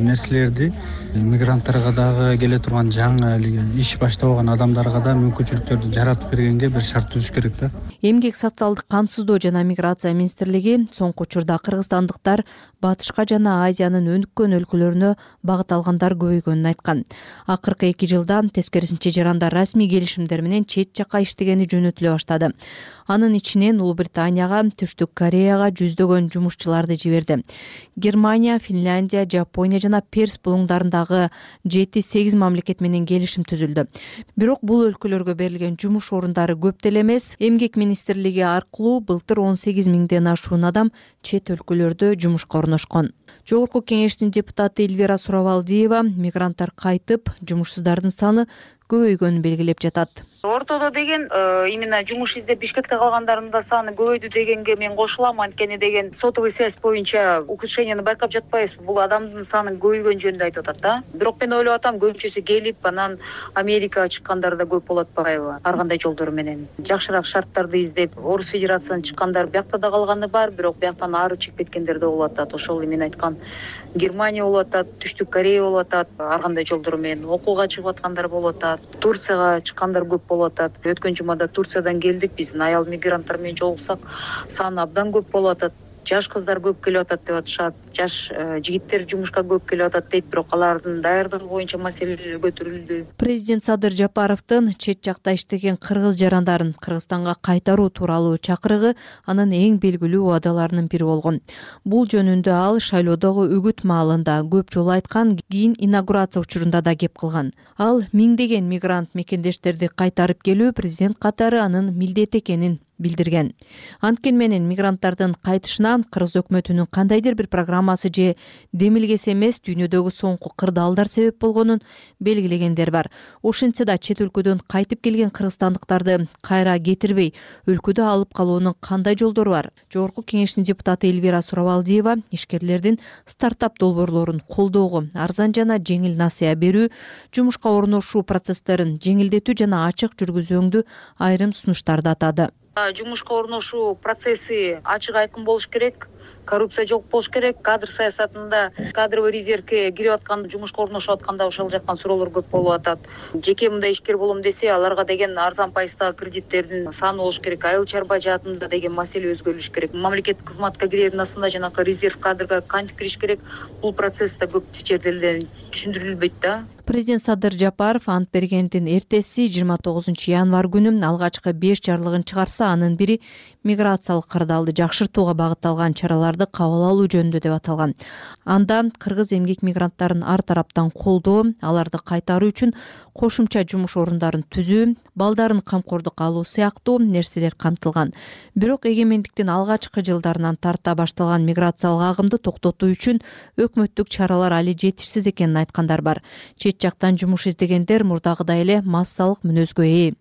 [SPEAKER 22] нерселерди мигранттарга дагы келе турган жаңы иш баштабаган адамдарга да мүмкүнчүлүктөрдү жаратып бергенге бир шарт түзүш керек да.
[SPEAKER 19] Эмгек социалдык камсыздоо жана миграция министрлиги соңку учурда кыргызстандыктар батышка жана Азиянын өнүккөн өлкөлөрүнө багыт алгандар көбөйгөнүн айткан. Акыркы 2 жылда тескерисинче жарандар расмий келишимдер менен чет жакка иштегени жөнөтүлө баштады. Анын ичинен Улуу Британияга, Түштүк Кореяга жүздөгөн жумушчуларды жиберди. Германия, Финляндия, Жапония жана Перс булуңдарындагы 7-8 мамлекет менен келишим түзүлдү. Бирок бул өлкөлөргө берилген жумуш орундары көп деле эмес. Эмгек министрлиги аркылуу былтыр 18 000ден ашуун адам чет өлкөлөрдө жумушка орношкон. Жогорку кеңештин депутаты Эльвира Суравалдиева мигранттар кайтып, жумушсуздардын саны көбөйгөнүн белгилеп жатат.
[SPEAKER 23] Ортодо деген именно жумуш издеп Бишкекте калгандардын да саны көбөйдү дегенге мен кошулам. Анткени деген сотовый связь боюнча ухудшениени байкап жатпайбызбы? Бул адамдын саны көбөйгөн жөнүндө айтып атат да. Бирок мен ойлоп атам, көбүнчөсү келип, анан Америкага чыккандар да көп болуп атпайбы? Ар кандай жолдор менен жакшыраак шарттарды издеп, Орус Федерациясынан чыккандар биякта да калганы бар, бирок бияктан ары чыгып кеткендер да болуп атат. Ошол мен айткан Германия болуп атат, Түштүк Корея болуп атат, ар кандай жолдор менен окууга чыгып аткандар болуп атат. Турцияга чыккандар көп болуп атат. Өткөн жумада Турциядан келдик, биздин аял мигранттар менен жолуксак, саны абдан көп болуп атат. жаш кыздар көп келип атат деп атышат, жаш жигиттер жумушка көп келип атат дейт, бирок алардын даярдыгы боюнча маселелер көтөрүлдү.
[SPEAKER 19] Президент Садыр Жапаровдун чет жакта иштеген кыргыз жарандарын Кыргызстанга кайтаруу тууралуу чакырыгы анын эң белгилүү убадаларынын бири болгон. Бул жөнүндө ал шайлоодогу үгүт маалында көп жолу айткан, кийин инаугурация учурунда да кеп кылган. Ал миңдеген мигрант мекендештерди кайтарып келүү президент катары анын милдети экенин билдирген. Анткени менен мигранттардын кайтышына кыргыз өкмөтүнүн кандайдыр бир программасы же демилгеси эмес, дүйнөдөгү соңку кырдаалдар себеп болгонун белгилегендер бар. Ошентсе да чет өлкөдөн кайтып келген кыргызстандыктарды кайра кетирбей, өлкөдө алып калуунун кандай жолдору бар? Жогорку кеңештин депутаты Элвира Сурабалдиева ишкерлердин стартап долбоорлорун колдоого, арзан жана жеңил насыя берүү, жумушка орношуу процесстерин жеңилдетүү жана ачык жүргүзүүңдү айрым сунуштарды атады.
[SPEAKER 23] Жумушка орношуу процесси ачык айкын болуш керек, коррупция жок болуш керек. Кадр саясатында кадровый резервге кирип аткан, жумушка орношуп атканда ошол жактан суроолор көп болуп атат. Жеке мындай ишкер болом десе, аларга деген арзан пайыздагы кредиттердин саны болуш керек, айыл чарба жаатында деген маселе өзгөрүлүш керек. Мамлекеттик кызматка киреринасында жанакы резерв кадрга кантип кириш керек, бул процессте көп жерден түшүндүрүлбөйт да.
[SPEAKER 19] Президент Садыр Жапаров ант бергендин эртеси 29 январь күнү алгачкы 5 жарлыгын чыгарса, анын бири миграциялык кырдаалды жакшыртууга багытталган чараларды кабыл алуу жөнүндө деп аталган. Анда кыргыз эмгек мигранттарын ар тараптан колдоо, аларды кайтаруу үчүн кошумча жумуш орундарын түзүү, балдарын камкордукка алуу сыяктуу нерселер камтылган. Бирок эгемендиктин алгачкы жылдарынан тарта башталган миграциялык агымды токтотуу үчүн өкмөттүк чаралар али жетишсиз экенин айткандар бар. Чет жактан жумуш издегендер мурдагыдай эле массалык мүнөзгө ээ.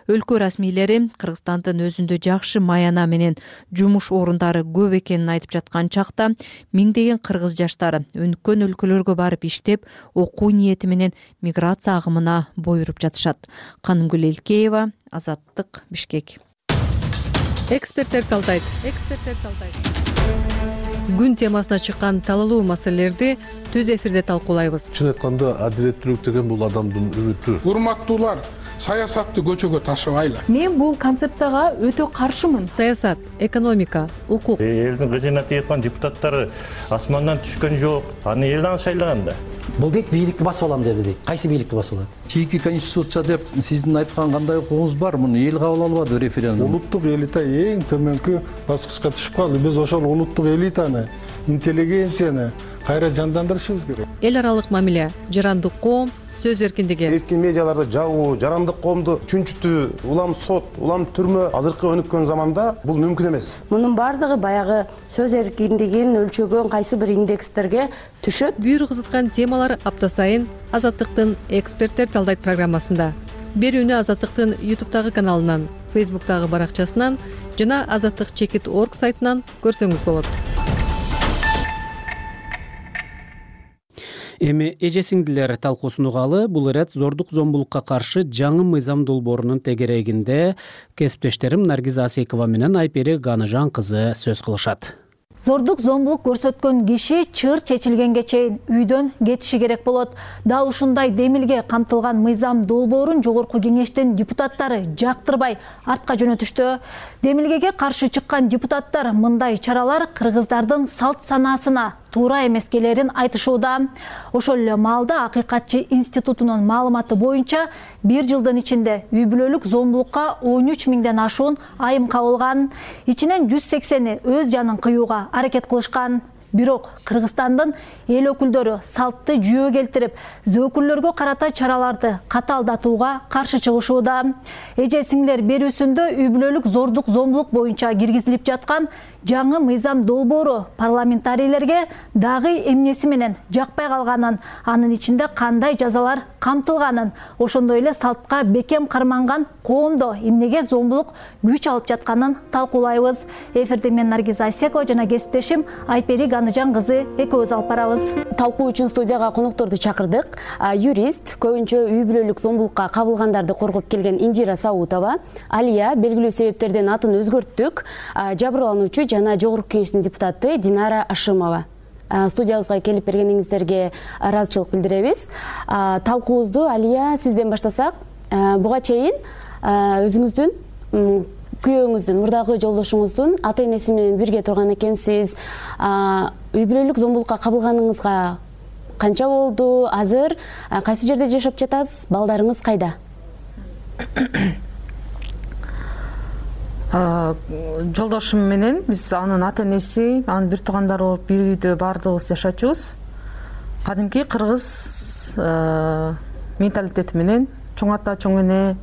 [SPEAKER 19] Өлкө расмийлери Кыргызстандын өзүндө жакшы маяна менен жумуш орундары көп экенин айтып жаткан чакта, миңдеген кыргыз жаштары өнүккөн өлкөлөргө барып иштеп, окуу ниети менен миграция агымына бойуруп жатышат. Канымгүл Элкеева, Азаттык, Бишкек.
[SPEAKER 10] Эксперттер талдайт. Күн темасына чыккан талалуу маселелерди түз эфирде талкуулайбыз.
[SPEAKER 1] Чын айтканда, адилеттүүлүк деген бул адамдын үмүтү.
[SPEAKER 6] Урматтуулар, саясатты көчөгө ташыбайлы.
[SPEAKER 7] Мен бул концепцияга өтө каршымын.
[SPEAKER 10] Саясат, экономика, укук.
[SPEAKER 24] Элдин кызына тийган депутаттары асмандан түшкөн жок. Аны элден шайлаган да.
[SPEAKER 25] Бул дейт бийликти басып алам деди дейт. Кайсы бийликти басып алат?
[SPEAKER 26] Чийки конституция деп сиздин айткан кандай укугуңуз бар? Муну эл кабыл албады референдум.
[SPEAKER 6] Улуттук элита эң төмөнкү баскычка түшүп калды. Биз ошол улуттук элитаны, интеллигенцияны кайра жандандырышыбыз керек.
[SPEAKER 10] Эл аралык мамиле, жарандык коом, сөз эркиндиги.
[SPEAKER 27] Эркин медиаларды жабуу, жарандык коомду чүнчүтүү, улам сот, улам түрмө азыркы өнүккөн заманда бул мүмкүн эмес.
[SPEAKER 28] Мунун бардыгы баягы сөз эркиндигин өлчөгөн кайсы бир индекстерге түшөт.
[SPEAKER 10] Бүйүр кызыткан темалар апта сайын Азаттыктын эксперттер талдайт программасында. Берүүнү Азаттыктын YouTube'дагы каналынан, Facebook'тагы баракчасынан жана azattik.org сайтынан көрсөңүз болот.
[SPEAKER 2] Эми эже-сиңдилер талкуусун угалы. Бул ирет зордук зомбулукка каршы жаңы мыйзам долбоорунун тегерегинде кесиптештерим Наргиз Асекова менен Айпери Ганажан кызы сөз кылышат.
[SPEAKER 29] Зордук зомбулук көрсөткөн киши чыр чечилгенге чейин үйдөн кетиши керек болот. Дал ушундай демилге камтылган мыйзам долбоорун жогорку кеңештин депутаттары жактырбай артка жөнөтүштү. Демилгеге каршы чыккан депутаттар мындай чаралар кыргыздардын салт санаасына туура эмескелерин айтышууда. Ошол эле маалда Акыйкатчы институтунун маалыматы боюнча 1 жылдын ичинде үй бүлөлүк зомбулукка 13 миңден ашуун айым кабылган. Ичинен 180 өз жанын кыюуга аракет кылышкан. Бирок Кыргызстандын эл өкүлдөрү салтты жүйө келтирип, зөөкүрлөргө карата чараларды катаалдатууга каршы чыгышууда. Эже-сиңдилер берүүсүндө үй бүлөлүк зордук зомбулук боюнча киргизилип жаткан жаңы мыйзам долбоору парламентарийлерге дагы эмнеси менен жакпай калганын, анын ичинде кандай жазалар камтылганын, ошондой эле салтка бекем карманган коомдо эмнеге зомбулук күч алып жатканын талкуулайбыз. Эфирде мен Наргиз Асекова жана кесиптешим Айпери Ганажан кызы экөөбүз алып барабыз.
[SPEAKER 30] Талкуу үчүн студияга конокторду чакырдык. Юрист, көбүнчө үй бүлөлүк зомбулукка кабылгандарды коргоп келген Индира Саутова, Алия белгилүү себептерден атын өзгөрттүк, жабырлануучу жана жогорку кеңештин депутаты Динара Ашимова. Студиябызга келип бергениңиздерге ыраазычылык билдиребиз. Талкуубузду Алия сизден баштасак, буга чейин өзүңүздүн күйөөңүздүн, мурдагы жолдошуңуздун ата энеси менен бирге турган экенсиз. Үй бүлөлүк зомбулукка кабылганыңызга канча болду? Азыр кайсы жерде жашап жатасыз? Балдарыңыз кайда?
[SPEAKER 3] Жолдошум менен биз анын ата энеси, анын бир туугандары болуп бир үйдө баардыгыбыз жашачубуз. Кадимки кыргыз менталитети менен чоң ата, чоң эне,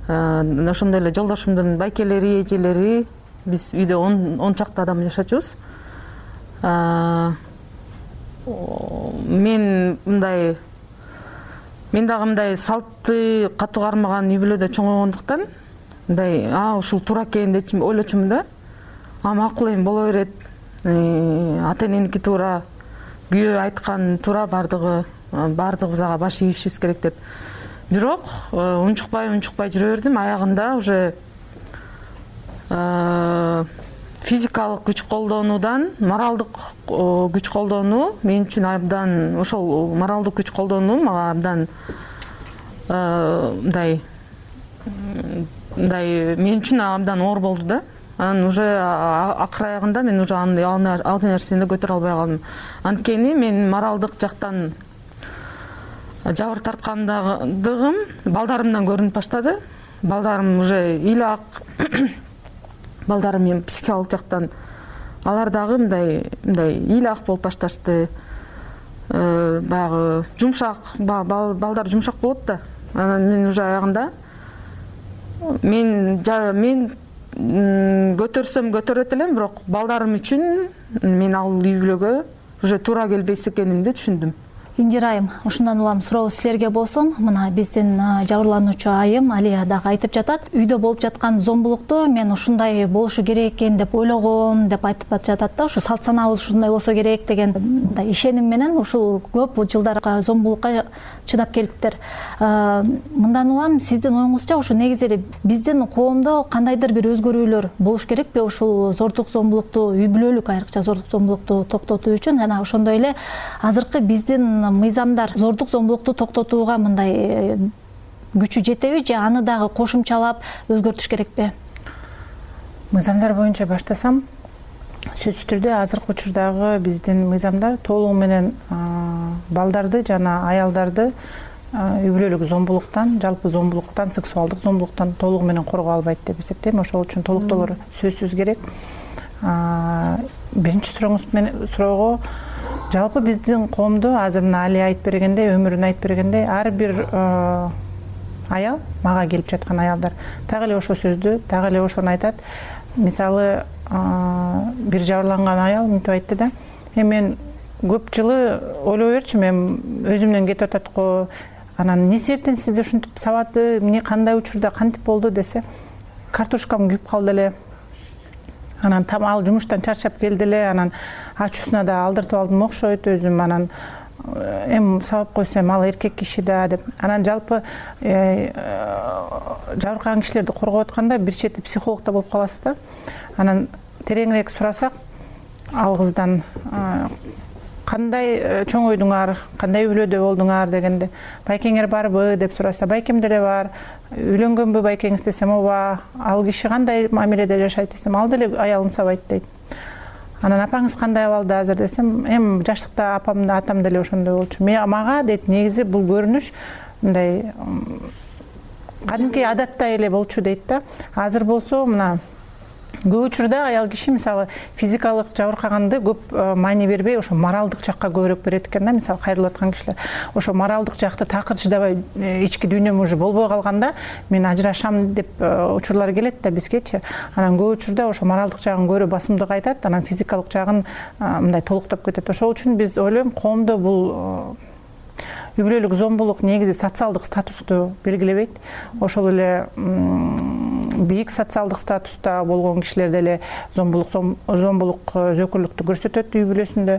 [SPEAKER 3] ошондой эле жолдошумдун байкелери, эжелери, биз үйдө 10 чакты адам жашачубуз. Мен дагы мындай салтты катуу кармаган үй бүлөдө чоңойгондуктан мындай ушул туура экен деп ойлочумун да. Макул эми боло берет. Ата эненики туура, күйөө айткан туура, баардыгыбыз ага баш ийишибиз керек деп. Бирок унчукпай жүрө бердим. Аягында уже физикалык күч колдонуудан моралдык күч колдонуу мен үчүн абдан, ошол моралдык күч колдонуу мага абдан мындай мен үчүн абдан оор болду да. Анан уже акыр аягында мен уже ал нерсени көтөрө албай калдым. Анткени мен моралдык жактан жабыр тарткандыгым балдарымдан көрүнүп баштады. Балдарым уже ыйлак, балдарым эми психикалык жактан алар дагы мындай ыйлак болуп башташты. Баягы жумшак, балдар жумшак болот да. Анан мен уже аягында мен көтөрсөм көтөрөт элем, бирок балдарым үчүн мен ал үй бүлөгө уже туура келбейс экенимди түшүндүм.
[SPEAKER 29] Индира айым, ушундан улам суроо силерге болсун. Мына биздин жабырлануучу айым Алия дагы айтып жатат. Үйдө болуп жаткан зомбулукту мен ушундай болушу керек экен деп ойлогом деп айтып жатат да. Ушу салт санаабыз ушундай болсо керек деген ишеним менен ушул көп жылдар зомбулукка чыдап келиптир. Мындан улам сиздин оюңузча ушу негизи эле биздин коомдо кандайдыр бир өзгөрүүлөр болуш керекпи ушул зордук зомбулукту, үй бүлөлүк айрыкча зордук зомбулукту токтотуу үчүн? Жана ошондой эле азыркы биздин мыйзамдар зордук зомбулукту токтотууга мындай күчү жетеби же аны дагы кошумчалап өзгөртүш керекпи?
[SPEAKER 8] Мыйзамдар боюнча баштасам, сөзсүз түрдө азыркы учурдагы биздин мыйзамдар толугу менен балдарды жана аялдарды үй бүлөлүк зомбулуктан, жалпы зомбулуктан, сексуалдык зомбулуктан толугу менен коргоо албайт деп эсептейм. Ошол үчүн толуктоолор сөзсүз керек. Биринчи суроого жалпы биздин коомдо азыр мына Алия айтып бергендей, өмүрүн айтып бергендей, ар бир аял, мага келип жаткан аялдар так эле ошо сөздү, так эле ошону айтат. Мисалы, бир жабырланган аял мынтип айтты да: мен көп жылы ойлой берчүмүн, мен өзүмдөн кетип атат го, анан эмне себептен сизди ушинтип сабады, эмне кандай учурда кантип болду десе, картошкам күйүп калды эле. Анан ал жумуштан чарчап келди эле, анан ачуусуна да алдыртып алдым окшойт өзүм, анан эми сабап койсом ал эркек киши да деп. Анан жалпы жабыркаган кишилерди коргоп атканда бир чети психолог да болуп каласыз да. Анан тереңирээк сурасак, ал кыздан кандай чоңойдуңар, кандай үй бүлөдө болдуңар дегенде, байкеңер барбы деп сураса, байкем деле бар. Үйлөнгөнбү байкеңиз десем, ооба. Ал киши кандай мамиледе жашайт десем, ал деле аялын сабайт дейт. Анан апаңыз кандай абалда азыр десем, эми жаштыкта апам да атам деле ошондой болчу. Мага дейт, негизи бул көрүнүш мындай кадимки адаттай эле болчу дейт да. Азыр болсо мына көп учурда аял киши мисалы физикалык жабыркаганды көп маани бербей, ошо моралдык жакка көбүрөөк берет экен да. Мисалы кайрылып аткан кишилер ошо моралдык жакты такыр чыдабай, ички дүйнөм уже болбой калганда мен ажырашам деп учурлар келет да бизгечи. Анан көп учурда ошо моралдык жагын көрө басымдык айтат, анан физикалык жагын мындай толуктап кетет. Ошол үчүн биз ойлойм, коомдо бул үй бүлөлүк зомбулук негизи социалдык статусту белгилебейт. Ошол эле бийик социалдык статуста болгон кишилер деле зомбулук зөкүрлүктү көрсөтөт үй бүлөсүндө.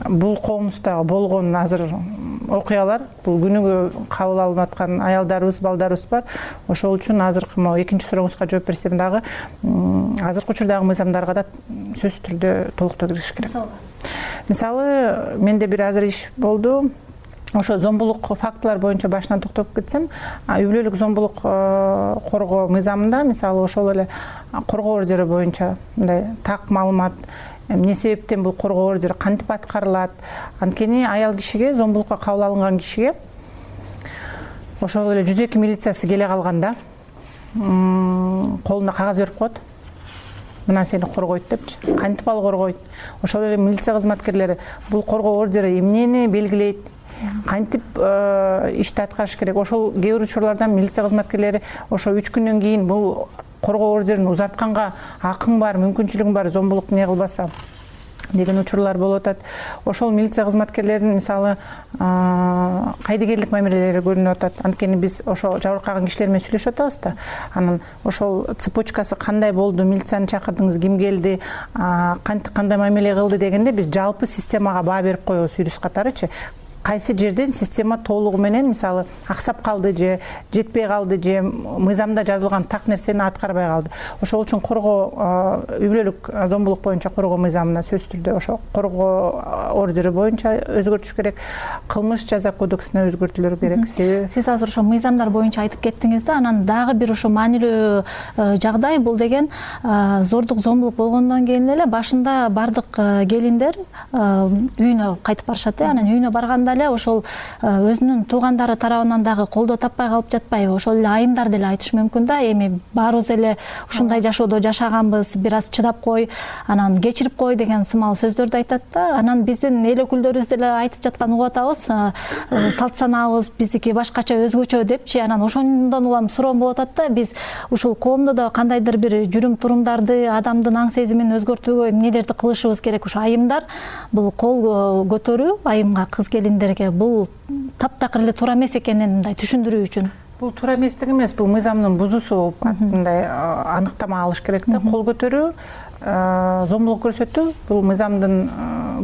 [SPEAKER 8] Бул коомубузда болгон азыр окуялар, бул күнүгө кабыл алынып аткан аялдарыбыз, балдарыбыз бар. Ошол үчүн азыркы могу экинчи сурооңузга жооп берсем дагы, азыркы учурдагы мыйзамдарга да сөзсүз түрдө толуктоо кириш керек. Мисалы, менде бир азыр иш болду. ошо зомбулук фактылар боюнча башынан токтоп кетсем, үй бүлөлүк зомбулук коргоо мыйзамында мисалы ошол эле коргоо ордери боюнча мындай так маалымат, эмне себептен бул коргоо ордери кантип аткарылат, анткени аял кишиге, зомбулукка кабыл алынган кишиге ошол эле 102 милициясы келе калганда колуна кагаз берип коет. Мына сени коргойт депчи. Кантип ал коргойт? Ошол эле милиция кызматкерлери бул коргоо ордери эмнени белгилейт? Кантип ишти аткарыш керек? Ошол кээ бир учурларда милиция кызматкерлери ошо 3 күндөн кийин бул коргоо ордерин узартканга акың бар, мүмкүнчүлүгүң бар, зомбулук не кылбаса деген учурлар болуп атат. Ошол милиция кызматкерлеринин мисалы кайдыгерлик мамилелери көрүнүп атат. Анткени биз ошо жабыркаган кишилер менен сүйлөшүп атабыз да. Анан ошол цепочкасы кандай болду, милицияны чакырдыңыз, ким келди, кандай мамиле кылды дегенде биз жалпы системага баа берип коебуз юрист катарычы. Кайсы жерден система толугу менен мисалы аксап калды же жетпей калды же мыйзамда жазылган так нерсени аткарбай калды. Ошол үчүн коргоо үй бүлөлүк зомбулук боюнча коргоо мыйзамына сөзсүз түрдө ошо коргоо ордери боюнча өзгөртүш керек, кылмыш жаза кодексине өзгөртүүлөр керек.
[SPEAKER 29] Сиз азыр ошо мыйзамдар боюнча айтып кеттиңиз да, анан дагы бир ошо маанилүү жагдай бул деген зордук зомбулук болгондон кийин эле башында бардык келиндер үйүнө кайтып барышат. Анан үйүнө барганда ошол өзүнүн туугандары тарабынан дагы колдоо таппай калып жатпайбы? Ошол эле айымдар деле айтышы мүмкүн да, эми баарыбыз эле ушундай жашоодо жашаганбыз, бир аз чыдап кой, анан кечирип кой деген сымал сөздөрдү айтат да. Анан биздин эл өкүлдөрүбүз деле айтып жаткан угуп атабыз, салт санаабыз биздики башкача, өзгөчө депчи. Анан ошондон улам суроом болуп атат да, биз ушул коомдо да кандайдыр бир жүрүм турумдарды, адамдын аң сезимин өзгөртүүгө эмнелерди кылышыбыз керек? Ошо айымдар бул кол көтөрүү, айымга, кыз келиндер бул таптакыр эле туура эмес экенин мындай түшүндүрүү үчүн.
[SPEAKER 8] Бул туура эместиги эмес, бул мыйзамдын бузуусу болуп мындай аныктама алыш керек да. Кол көтөрүү, зомбулук көрсөтүү бул мыйзамдын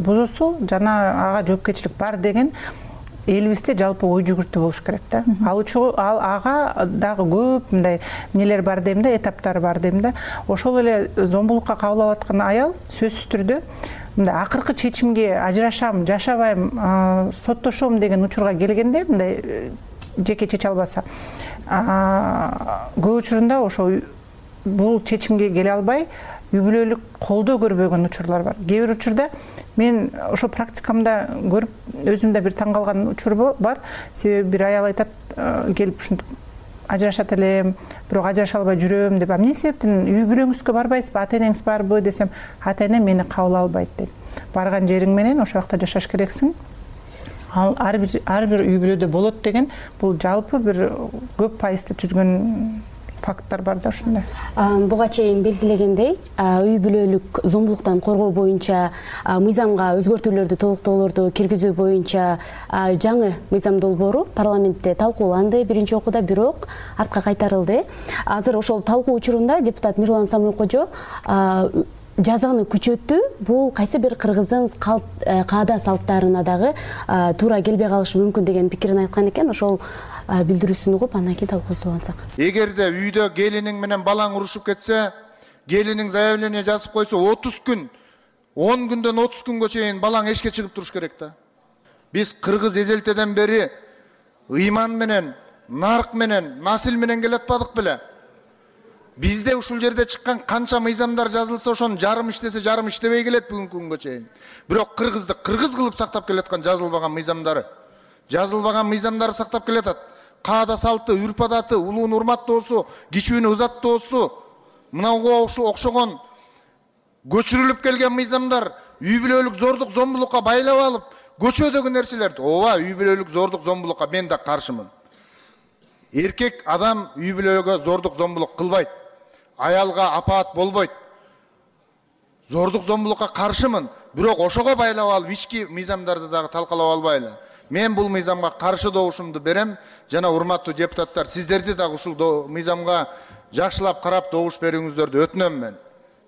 [SPEAKER 8] бузуусу жана ага жоопкерчилик бар деген элибизде жалпы ой жүгүртүү болуш керек да. Ал ага дагы көп мындай нелер бар дейм да, этаптары бар дейм да. Ошол эле зомбулукка кабыл алып аткан аял сөзсүз түрдө мындай акыркы чечимге ажырашам, жашабайм, соттошом деген учурга келгенде, мындай жеке чече албаса, көп учурунда ошо бул чечимге келе албай, үй бүлөлүк колдоо көрбөгөн учурлар бар. Кээ бир учурда мен ошо практикамда көрүп, өзүмдө бир таң калган учур бар. Себеби бир аял айтат, келип ушинтип ажырашат элем, бирок ажыраша албай жүрөм деп. Эмне себептен үй бүлөңүзгө барбайсызбы, ата энеңиз барбы десем, ата энем мени кабыл албайт дейт. Барган жериң менен ошол жакта жашаш керексиң. Ал ар бир үй бүлөдө болот деген бул жалпы бир көп пайызды түзгөн факттар бар да ушундай.
[SPEAKER 30] Буга чейин белгилегендей, үй бүлөлүк зомбулуктан коргоо боюнча мыйзамга өзгөртүүлөрдү, толуктоолорду киргизүү боюнча жаңы мыйзам долбоору парламентте талкууланды биринчи окууда, бирок артка кайтарылды. Азыр ошол талкуу учурунда депутат Мирлан Самойкожо жазаны күчөтүү бул кайсы бир кыргыздын каада салттарына дагы туура келбей калышы мүмкүн деген пикирин айткан экен. Ошол билдирүүсүн угуп андан кийин талкуусулансак.
[SPEAKER 4] Эгерде үйдө келиниң менен балаң урушуп кетсе, келиниң заявление жазып койсо 30 күн, 10 күндөн 30 күнгө чейин балаң эшикке чыгып туруш керек да. Биз кыргыз эзелтеден бери ыйман менен, нарк менен, насил менен келатпадык беле? Бизде ушул жерде чыккан канча мыйзамдар жазылса, ошонун жарым иштесе, жарым иштебей келет бүгүнкү күнгө чейин. Бирок кыргызды кыргыз кылып сактап келаткан жазылбаган мыйзамдары сактап келатат. Каада салты, үрп адаты, улуун урматтоосу, кичүүнү ызаттоосу, мынауга окшогон көчүрүлүп келген мыйзамдар үй бүлөлүк зордук, зомбулукка байлап алып, көчөдөгү нерселерди. Ооба, үй бүлөлүк зордук, зомбулукка мен да каршымын. Эркек адам үй бүлөгө зордук, зомбулук кылбайт. Аялга апаат болбойт. Зордук, зомбулукка каршымын. Бирок ошого байлап алып, ички мыйзамдарды дагы талкалап албайлы. Мен бул мыйзамга каршы добушумду берем. Жана урматтуу депутаттар, сиздерди дагы ушул мыйзамга жакшылап карап добуш берүүңүздөрдү өтүнөм мен.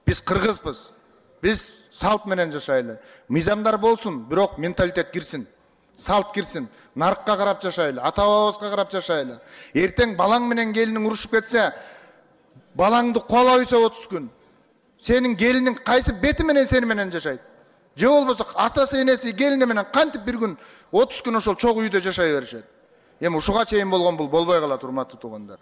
[SPEAKER 4] Биз кыргызбыз. Биз салт менен жашайлы. Мыйзамдар болсун, бирок менталитет кирсин. Салт кирсин. Наркка карап жашайлы, ата-бабабызга карап жашайлы. Эртең балаң менен келиниң урушуп кетсе, балаңды куалап ийсе 30 күн. Сенин келиниң кайсы бети менен сени менен жашайт? же болбосо атасы энеси келини менен кантип бир күн 30 күн ошол чогуу үйдө жашай беришет. Эми ушуга чейин болгон бул болбой калат, урматтуу туугандар.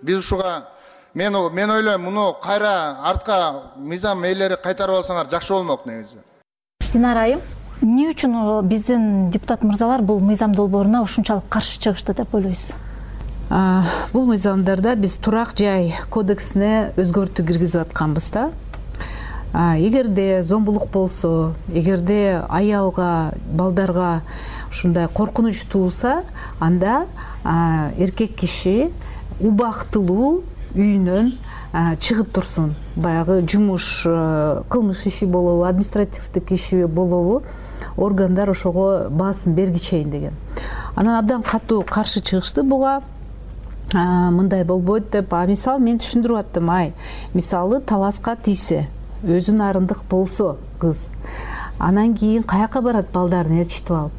[SPEAKER 4] Биз ушуга мен ойлойм, муну кайра артка мыйзам ээлери кайтарып алсаңар жакшы болмок негизи.
[SPEAKER 29] Динара айым, эмне үчүн биздин депутат мырзалар бул мыйзам долбооруна ушунчалык каршы чыгышты деп ойлойсуз?
[SPEAKER 5] Бул мыйзамдарда биз турак жай кодексине өзгөртүү киргизип атканбыз да. Эгерде зомбулук болсо, эгерде аялга, балдарга ушундай коркунуч тууса, анда эркек киши убактылуу үйүнөн чыгып турсун. Баягы жумуш, кылмыш иши болобу, административдик иши болобу, органдар ошого баасын бергичейин деген. Анан абдан катуу каршы чыгышты буга. Мындай болбойт деп, мисалы мен түшүндүрүп аттым, мисалы таласка тийсе, өзүн арындык болсо кыз, анан кийин каяка барат балдарын ээрчитип алып?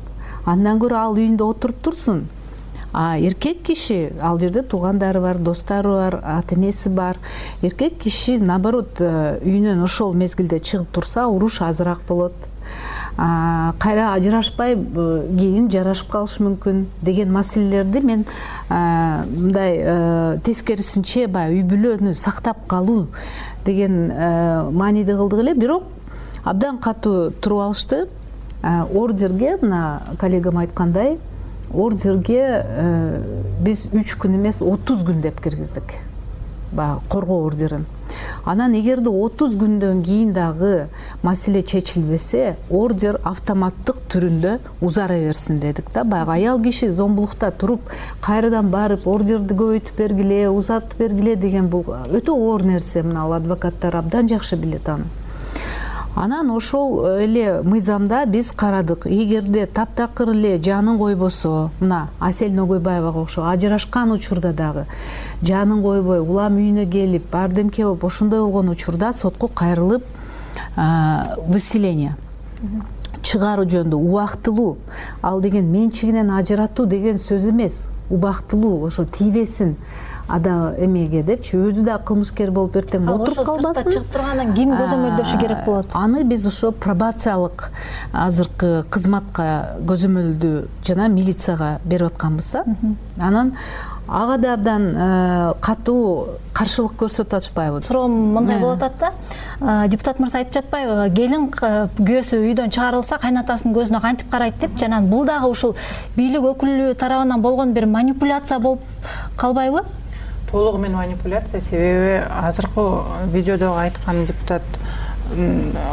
[SPEAKER 5] Андан көрө ал үйүндө отуруп турсун. Эркек киши, ал жерде туугандары бар, достору бар, ата энеси бар. Эркек киши наоборот үйүнөн ошол мезгилде чыгып турса, уруш азыраак болот. Кайра ажырашпай кийин жарашып калышы мүмкүн деген маселелерди мен мындай тескерисинче үй бүлөнү сактап калуу деген мааниде кылдык эле. Бирок абдан катуу туруп алышты. Ордерге, мына коллегам айткандай, ордерге биз 3 күн эмес 30 күн деп киргиздик. Коргоо ордерин. Анан эгерде 30 күндөн кийин дагы маселе чечилбесе, ордер автоматтык түрүндө узара берсин дедик да. Баягы аял киши зомбулукта туруп, кайрадан барып ордерди көбөйтүп бергиле, узатып бергиле деген бул өтө оор нерсе. Мына адвокаттар абдан жакшы билет аны. Анан ошол эле мыйзамда биз карадык. Эгерде таптакыр эле жанын койбосо, мына Асель Ногойбаевага окшогон ажырашкан учурда дагы жанын койбой, улам үйүнө келип, бардемке болуп, ошондой болгон учурда сотко кайрылып, выселение чыгаруу жөнүндө убактылуу, ал деген менчигинен ажыратуу деген сөз эмес. Убактылуу, ошо тийбесин ада эмеге депчи, өзү да кылмышкер болуп эртең отуруп калбасын.
[SPEAKER 29] Ошо чыгып тургандан ким көзөмөлдөшү керек болот?
[SPEAKER 5] Аны биз ошо пробациялык азыркы кызматка көзөмөлдүү жана милицияга берип атканбыз да. Анан ага да абдан катуу каршылык көрсөтүп атышпайбы?
[SPEAKER 29] Суроом мындай болуп атат да. Депутат мырза айтып жатпайбы, келин күйөөсү үйдөн чыгарылса кайнатасынын көзүнө кантип карайт деп, жана бул дагы ушул бийлик өкүлү тарабынан болгон бир манипуляция болуп калбайбы?
[SPEAKER 8] Толугу менен манипуляция, себеби азыркы видеодо айткан депутат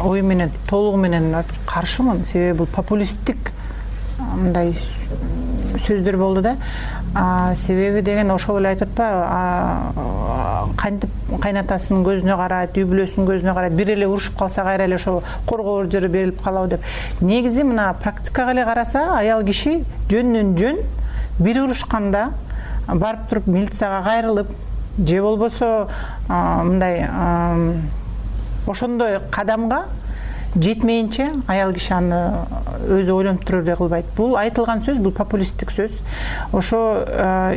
[SPEAKER 8] ою менен толугу менен каршымын. Себеби бул популисттик мындай сөздөр болду да. Себеби деген ошол эле айтат атпайбы, кантип кайнатасынын көзүнө карайт, үй бүлөсүнүн көзүнө карайт, бир эле урушуп калса кайра эле ошол коргоо ордери берилип калабы деп. Негизи мына практикага эле караса, аял киши жөндөн жөн бир урушканда барып туруп милицияга кайрылып, же болбосо мындай ошондой кадамга жетмейинче аял киши аны өзү ойлонуп туруп эле кылбайт. Бул айтылган сөз, бул популисттик сөз. Ошо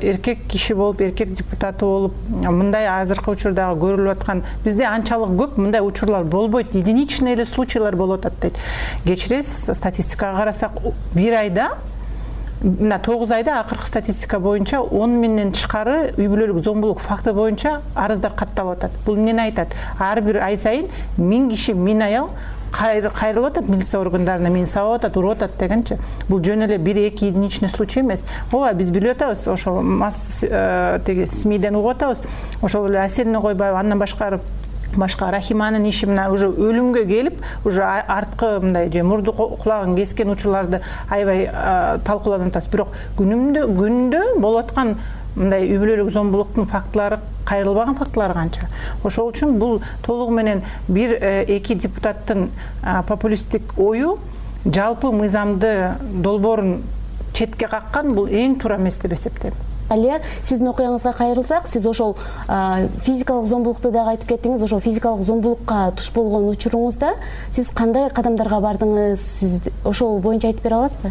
[SPEAKER 8] эркек киши болуп, эркек депутаты болуп, мындай азыркы учурдагы көрүлүп аткан, бизде анчалык көп мындай учурлар болбойт. Единичный эле случайлар болуп атат дейт. Кечиресиз, статистикага карасак, бир айда, мына 9 айда акыркы статистика боюнча 10 миңден тышкары үй бүлөлүк зомбулук факты боюнча арыздар катталып атат. Бул эмнени айтат? Ар бир ай сайын 1000 киши, 1000 аял кайрылып атат милиция органдарына, мени сабап атат, уруп атат дегенчи. Бул жөн эле 1-2 единичный случай эмес. Ооба, биз билип атабыз, ошол теги СМИден угуп атабыз. Ошол эле Асель Ногойбаева, андан башка Рахиманын иши мына уже өлүмгө келип, уже арткы мындай же мурду кулагын кескен учурларды аябай талкууланып атабыз. Бирок күндө болуп аткан мындай үй бүлөлүк зомбулуктун фактылары, кайрылбаган фактылары канча. Ошол үчүн бул толугу менен 1-2 депутаттын популисттик ою жалпы мыйзамды долбоорун четке каккан, бул эң туура эмес деп эсептейм.
[SPEAKER 30] Алия, сиздин окуяңызга кайрылсак, сиз ошол физикалык зомбулукту дагы айтып кеттиңиз. Ошол физикалык зомбулукка туш болгон учуруңузда сиз кандай кадамдарга бардыңыз? Сиз ошол боюнча айтып бере аласызбы?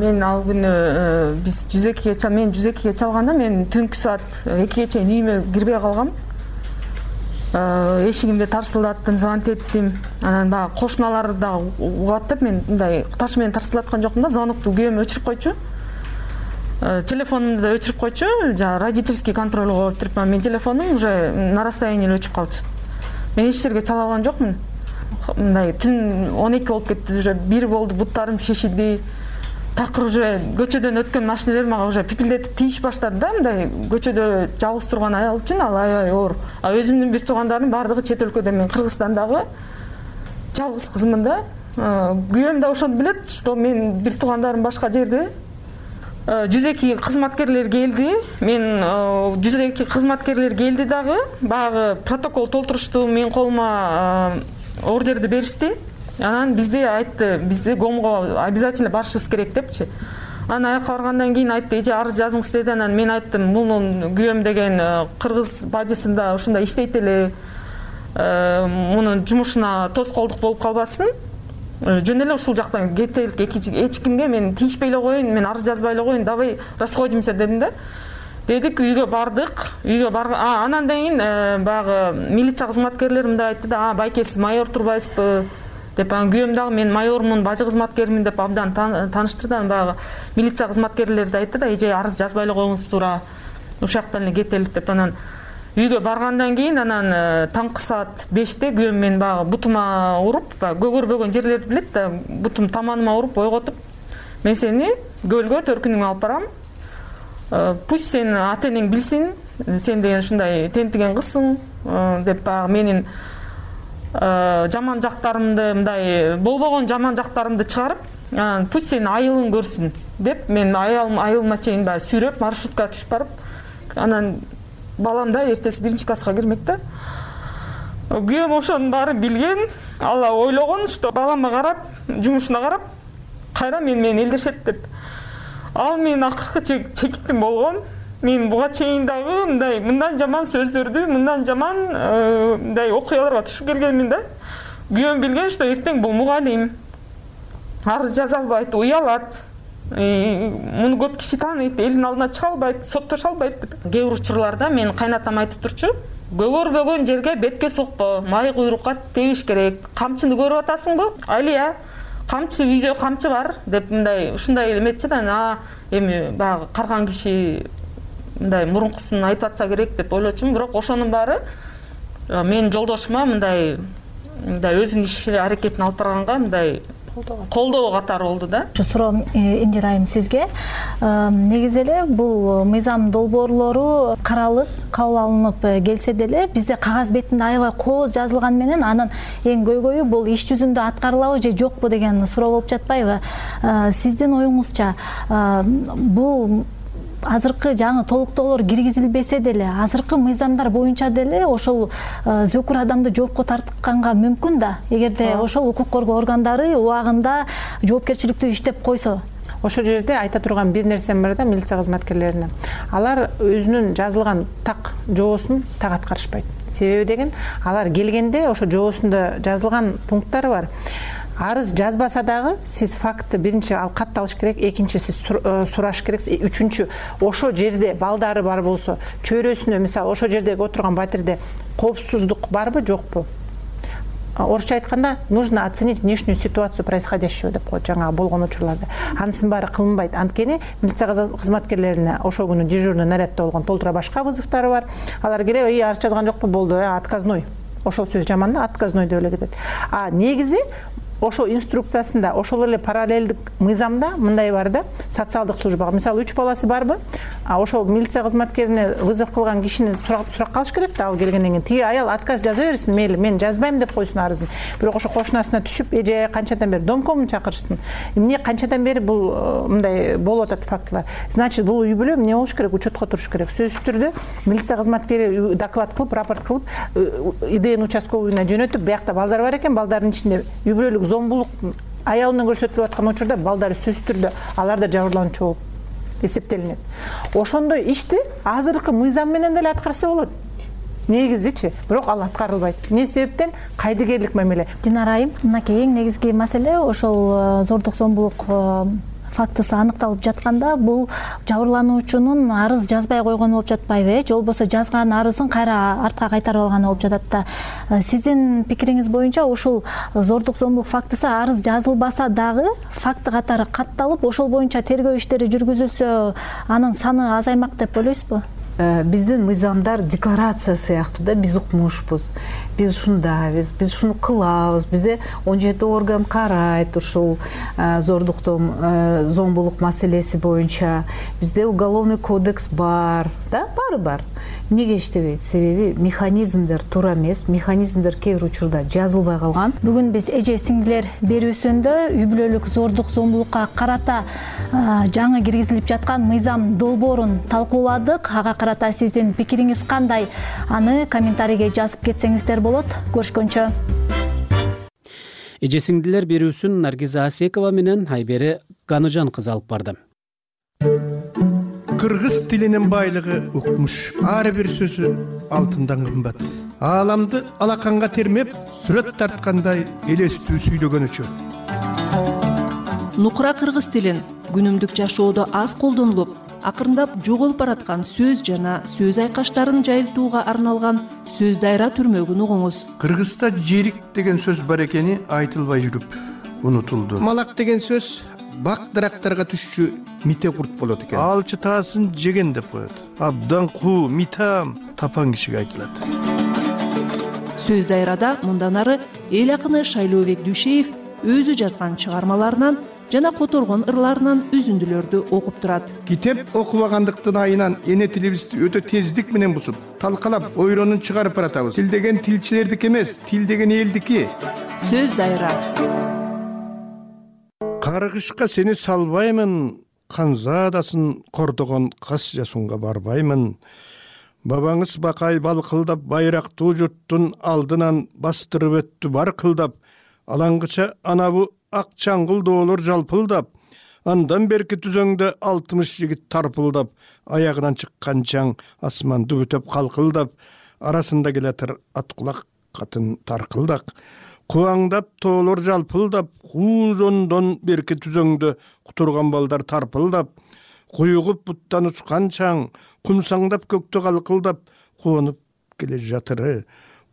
[SPEAKER 3] Мен ал күнү биз жүзекиге чалганда мен түнкү саат 2-ге чейин үйүмө кирбей калгам. эшигимди тарсылдаттым, звонок эттим. Анан баягы кошуналар да угат деп мен мындай таш менен тарсылдаткан жокмун да, звонокту күйөөм өчүрүп койчу. Телефонумду да өчүрүп койчу, жана родительский контролго коюп турупман. Мен телефонум уже на расстоянии өчүп калчу. Мен эч жерге чала алган жокмун. Мындай түн 12 болуп кетти, уже 1 болду, буттарым шешилди. Такыр уже көчөдөн өткөн машиналар мага уже пипилдетип тийиш баштады да, мындай көчөдө жалгыз турган аял үчүн ал аябай оор. Өзүмдүн бир туугандарым бардыгы чет өлкөдө, мен Кыргызстандагы жалгыз кызмын да. Күйөөм да ошону билет, что мен бир туугандарым башка жерде. 102 кызматкерлер келди. Мен 102 кызматкерлер келди дагы, баягы протокол толтурушту, мен колума ордерди беришти. Анан бизде айтты, бизде ГОМго обязательно барышыбыз керек депчи. Анан аяка баргандан кийин айтты, эже арыз жазыңыз деди. Анан мен айттым, мунун күйөөм деген кыргыз бадисында ушундай иштейт эле. Мунун жумушуна тоскоолдук болуп калбасын. Жөн эле ушул жактан кетелик, эч кимге мен тийишпей эле коеюн, мен арыз жазбай эле коеюн, давай расходимся дедим да. Дедик, үйгө бардык. Үйгө анан кийин баягы милиция кызматкерлери мындай айтты да, байке сиз майор турбайсызбы деп. Анан күйөөм дагы мен майормун, бажы кызматкермин деп абдан тааныштырды. Баягы милиция кызматкерлери да айтты да, эже арыз жазбай эле коюңуз туура, ушул жактан эле кетелик деп. Анан үйгө баргандан кийин анан таңкы саат 5-те күйөөм мен баягы бутума уруп, көгөрбөгөн жерлерди билет да, бутум таманыма уруп ойготуп, мен сени көлгө төркүнүңө алып барам. Пусть сен ата-энең билсин, сен деген ушундай тентиген кызсың деп, баягы менин жаман жактарымды, мындай болбогон жаман жактарымды чыгарып, пусть сенин айылың көрсүн деп, мен айылыма чейин баягы сүйрөп, маршрутка түшүп барып, анан балам да эртеси 1-класска кирмек да. Күйөөм ошонун баарын билген, ала ойлогон, что балама карап, жумушуна карап, кайра менен элдешет деп. Ал мен акыркы чекиттим болгон. Мен буга чейин дагы мындан жаман сөздөрдү, мындан жаман мындай окуяларга түшүп келгенмин да. Күйөөм билген, что эртең бул мугалим. Арыз жаза албайт, уялат. Муну көп киши тааныйт, элдин алдына чыга албайт, соттошо албайт деп. Кээ бир учурларда мен кайнатам айтып турчу, көгөрбөгөн жерге бетке сокпо, май куйрукка тебиш керек. Камчыны көрүп атасыңбы? Алия, камчы үйдө камчы бар деп мындай ушундай эметчи да. Эми баягы карган киши мындай мурункусын айтып атса керек деп ойлочумун, бирок ошонун баары менин жолдошума мындай өзүнүн иш аракетин алып барганга мындай колдоо катары болду да.
[SPEAKER 29] Суроом Индира айым сизге. Негизи эле бул мыйзам долбоорлору каралып, кабыл алынып келсе деле, бизде кагаз бетинде аябай кооз жазылган менен анын эң көйгөйү бул иш жүзүндө аткарылабы же жокпу деген суроо болуп жатпайбы? Сиздин оюңузча бул азыркы жаңы толуктоолор киргизилбесе деле, азыркы мыйзамдар боюнча деле ошол зөкүр адамды жоопко тартканга мүмкүн да, эгерде ошол укук коргоо органдары убагында жоопкерчиликтүү иштеп койсо.
[SPEAKER 8] Ошол жерде айта турган бир нерсем бар да, милиция кызматкерлерине. Алар өзүнүн жазылган так жоосун так аткарышпайт. Себеби деген, алар келгенде ошо жоосунда жазылган пункттары бар. Арыз жазбаса дагы сиз фактты биринчи ал катталыш керек, экинчи сиз сураш керек, үчүнчү ошо жерде балдары бар болсо, чөйрөсүнө мисалы ошо жердеги отурган батирде коопсуздук барбы, жокпу? Орусча айтканда, нужно оценить внешнюю ситуацию происходящего деп коет жаңа болгон учурларда. Анысынын баары кылынбайт. Анткени милиция кызматкерлерине ошол күнү дежурный нарядта болгон толтура башка вызовдары бар. Алар келип, арыз жазган жокпу, болду, отказной. Ошол сөз жаман да, отказной деп эле кетет. Негизи ошо инструкциясында, ошол эле параллелдик мыйзамда мындай бар да, социалдык службага. Мисалы 3 баласы барбы? Ошол милиция кызматкерине вызов кылган кишини сурак калыш керек да, ал келгенден кийин. Тиги аял отказ жаза берсин, мейли, мен жазбайм деп койсун арызын. Бирок ошо кошунасына түшүп, эже канчадан бери домкомун чакырышсын. Эмне канчадан бери бул мындай болуп атат фактылар. Значит, бул үй бүлө эмне болуш керек? Учетко туруш керек. Сөзсүз түрдө милиция кызматкери доклад кылып, рапорт кылып, ИДН участковыйына жөнөтүп, биякта балдар бар экен, балдардын ичинде үй бүлөлүк зомбулук аялынан көрсөтүлүп аткан учурда балдары сөзсүз түрдө алар да жабырлануучу болуп эсептелинет. Ошондой ишти азыркы мыйзам менен деле аткарса болот. Негизичи, бирок ал аткарылбайт. Эмне себептен? Кайдыгерлик мамиле.
[SPEAKER 29] Динара айым, мынакей эң негизги маселе ошол зордук зомбулук фактысы аныкталып жатканда, бул жабырлануучунун арыз жазбай койгону болуп жатпайбы? Же болбосо жазган арызын кайра артка кайтарып алганы болуп жатат да. Сиздин пикириңиз боюнча ушул зордук зомбулук фактысы арыз жазылбаса дагы факты катары катталып, ошол боюнча тергөө иштери жүргүзүлсө, анын саны азаймак деп ойлойсузбу?
[SPEAKER 5] Биздин мыйзамдар декларация сыяктуу да, биз укмушпуз. Биз ушундайбыз, биз ушуну кылабыз. Бизде 17 орган карайт ушул зомбулук маселеси боюнча. Бизде уголовный кодекс бар, да, баары бар. Эмнеге иштебейт? Себеби механизмдер туура эмес, механизмдер кээ бир учурда жазылбай калган.
[SPEAKER 29] Бүгүн биз эже сиңдилер берүүсүндө үй бүлөлүк зордук зомбулукка карата жаңы киргизилип жаткан мыйзам долбоорун талкууладык. Ага карата сиздин пикириңиз кандай? Аны комментарийге жазып кетсеңиздер болот. Көрүшкөнчө.
[SPEAKER 2] Эже сиңдилер берүүсүн Наргиза Асекова менен Айбери Ганыжан кызы алып барды.
[SPEAKER 9] Кыргыз тилинин байлыгы укмуш. Ар бир сөзү алтындан кымбат. Ааламды алаканга термеп, сүрөт тарткандай элестүү сүйлөгөнүчө.
[SPEAKER 7] Нукура кыргыз тилин күнүмдүк жашоодо аз колдонулуп, акырындап жоголуп бараткан сөз жана сөз айкаштарын жайылтууга арналган сөз дайра түрмөгүн угуңуз.
[SPEAKER 9] Кыргызда жерик деген сөз бар экени айтылбай жүрүп унутулду. Малак деген сөз бак дарактарга түшчү мите курт болот экен. Алчы таасын жеген деп коет. Абдан куу, митам тапан кишиге айтылат.
[SPEAKER 7] Сөз дайрада мындан ары эл акыны Шайлообек Дүйшеев өзү жазган чыгармаларынан жана которгон ырларынан үзүндүлөрдү окуп турат.
[SPEAKER 9] Китеп окубагандыктын айынан эне тилибизди өтө тездик менен бузуп, талкалап, ойронун чыгарып баратабыз. Тил деген тилчилердики эмес, тил деген элдики.
[SPEAKER 7] Сөз дайра.
[SPEAKER 9] Каргышка сени салбаймын, канзаадасын кордогон кас жасунга барбаймын. Бабаңыз бакай балкылдап байрактуу журттун алдынан бастырып өттү бар кылдап, алаңгыча анабу ак чаңгыл доолор жалпылдап, андан берки түзөңдө 60 жигит тарпылдап, аягынан чыккан чаң асманды бүтөп калкылдап, арасында келатыр ат кулак катын таркылдак. Кубаңдап тоолор жалпылдап, куузондон берки түзөңдө кутурган балдар тарпылдап, куйугуп буттан учкан чаң, кумсаңдап көктө калкылдап, куонуп келе жатыры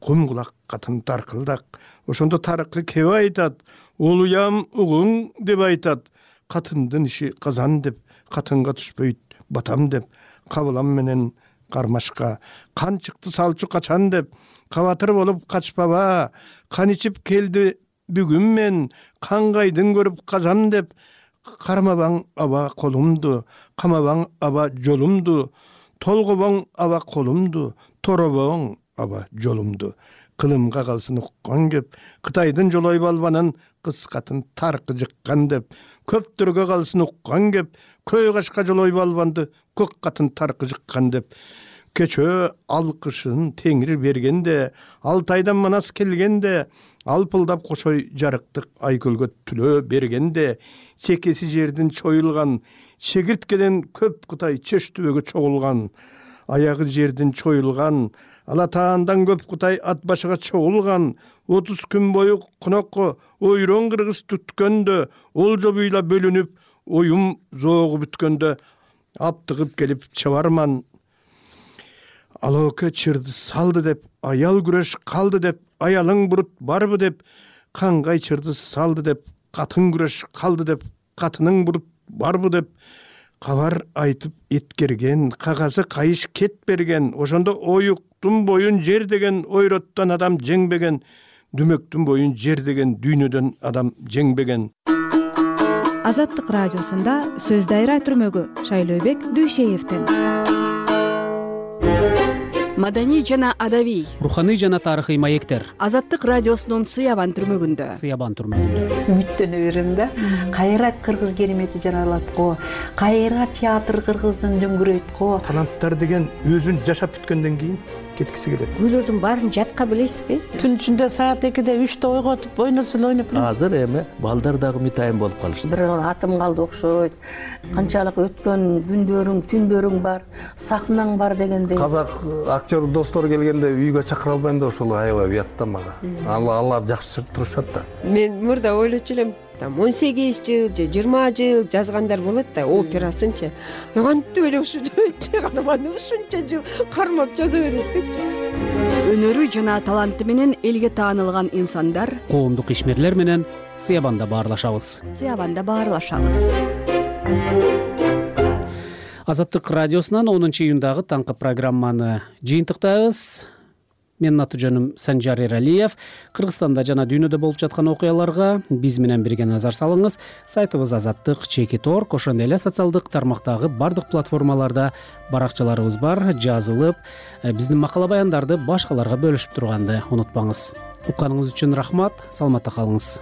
[SPEAKER 9] кум кулак катын таркылдак. Ошондо тарыкы кеп айтат, улуям угуң деп айтат. Катындын иши казан деп, катынга түшпөйт батам деп, кабылам менен кармашка кан чыкты салчу качан деп, кабатыр болуп качпаба, кан ичип келди бүгүн мен, кангайдын көрүп казам деп, кармабаң аба колумду, камабаң аба жолумду, толгобоң аба колумду, торобоң аба жолумду. Кылымга калсын уккан кеп, Кытайдын жолой балбанын кыз катын таркы жыккан деп, көптөргө калсын уккан кеп, көй кашка жолой балбанды көк катын таркы жыккан деп. Кечөө алкышын теңир бергенде, Алтайдан манас келгенде, алпылдап кошой жарыктык айкөлгө түлөө бергенде, чекеси жердин чоюлган, чегирткеден көп Кытай чөштүбөгө чогулган, аягы жердин чоюлган, Алатаандан көп Кытай ат башыга чогулган, 30 күн бою конокко ойрон кыргыз түткөндө, олжо буйла бөлүнүп, оюм зоогу бүткөндө, аптыгып келип чабарман. Алоке чырды салды деп, аял күрөш калды деп, аялың бурут барбы деп, кангай чырды салды деп, катын күрөш калды деп, катының бурут барбы деп, кабар айтып эткерген, кагазы кайыш кет берген, ошондо оюктун боюн жер деген ойроттон адам жеңбеген, дүмөктүн боюн жер деген дүйнөдөн адам жеңбеген.
[SPEAKER 19] Азаттык радиосунда сөз дайра түрмөгү Шайлообек Дүйшеевдин.
[SPEAKER 11] Маданий жана адабий,
[SPEAKER 2] руханий жана тарыхый маектер.
[SPEAKER 11] Азаттык радиосунун Сыябан түрмөгүндө.
[SPEAKER 2] Сыябан түрмөгүндө.
[SPEAKER 12] Үмүттөнө берем да. Кайра кыргыз керемети жаралат го. Кайра театр кыргыздын дөңгүрөйт го.
[SPEAKER 9] Таланттар деген өзүн жашап бүткөндөн кийин кеткиси келет.
[SPEAKER 11] Күйлөрдүн баарын жатка билесизби?
[SPEAKER 12] Түн ичинде саат 2-де 3-те ойготуп, ойносо эле ойноп элем.
[SPEAKER 1] Азыр эми балдар дагы митайым болуп калышты.
[SPEAKER 11] Бир атым калды окшойт. Канчалык өткөн күндөрүң, түндөрүң бар, сахнаң бар дегендей.
[SPEAKER 13] Казак актер достор келгенде үйгө чакыра албайм да ошол аябай уят да мага. Алар жакшы турушат да.
[SPEAKER 14] Мен мурда ойлочу элем, там 18 жыл же 20 жыл жазгандар болот да, операсынчы. Кантип эле ушу чыгарманы ушунча жыл кармап жаза берет деп.
[SPEAKER 15] Өнөрү жана таланты менен элге таанылган инсандар
[SPEAKER 2] коомдук ишмерлер менен Сыябанда баарлашабыз. Азаттык радиосунан 10 июндагы таңкы программаны жыйынтыктайбыз. Менин аты-жөнүм Санжар Эралиев. Кыргызстанда жана дүйнөдө болуп жаткан окуяларга биз менен бирге назар салыңыз. Сайтыбыз azattik.org, ошондой эле социалдык тармактагы бардык платформаларда баракчаларыбыз бар. Жазылып, биздин макала баяндарды башкаларга бөлүшүп турганды унутпаңыз. Укканыңыз үчүн рахмат. Саламатта калыңыз.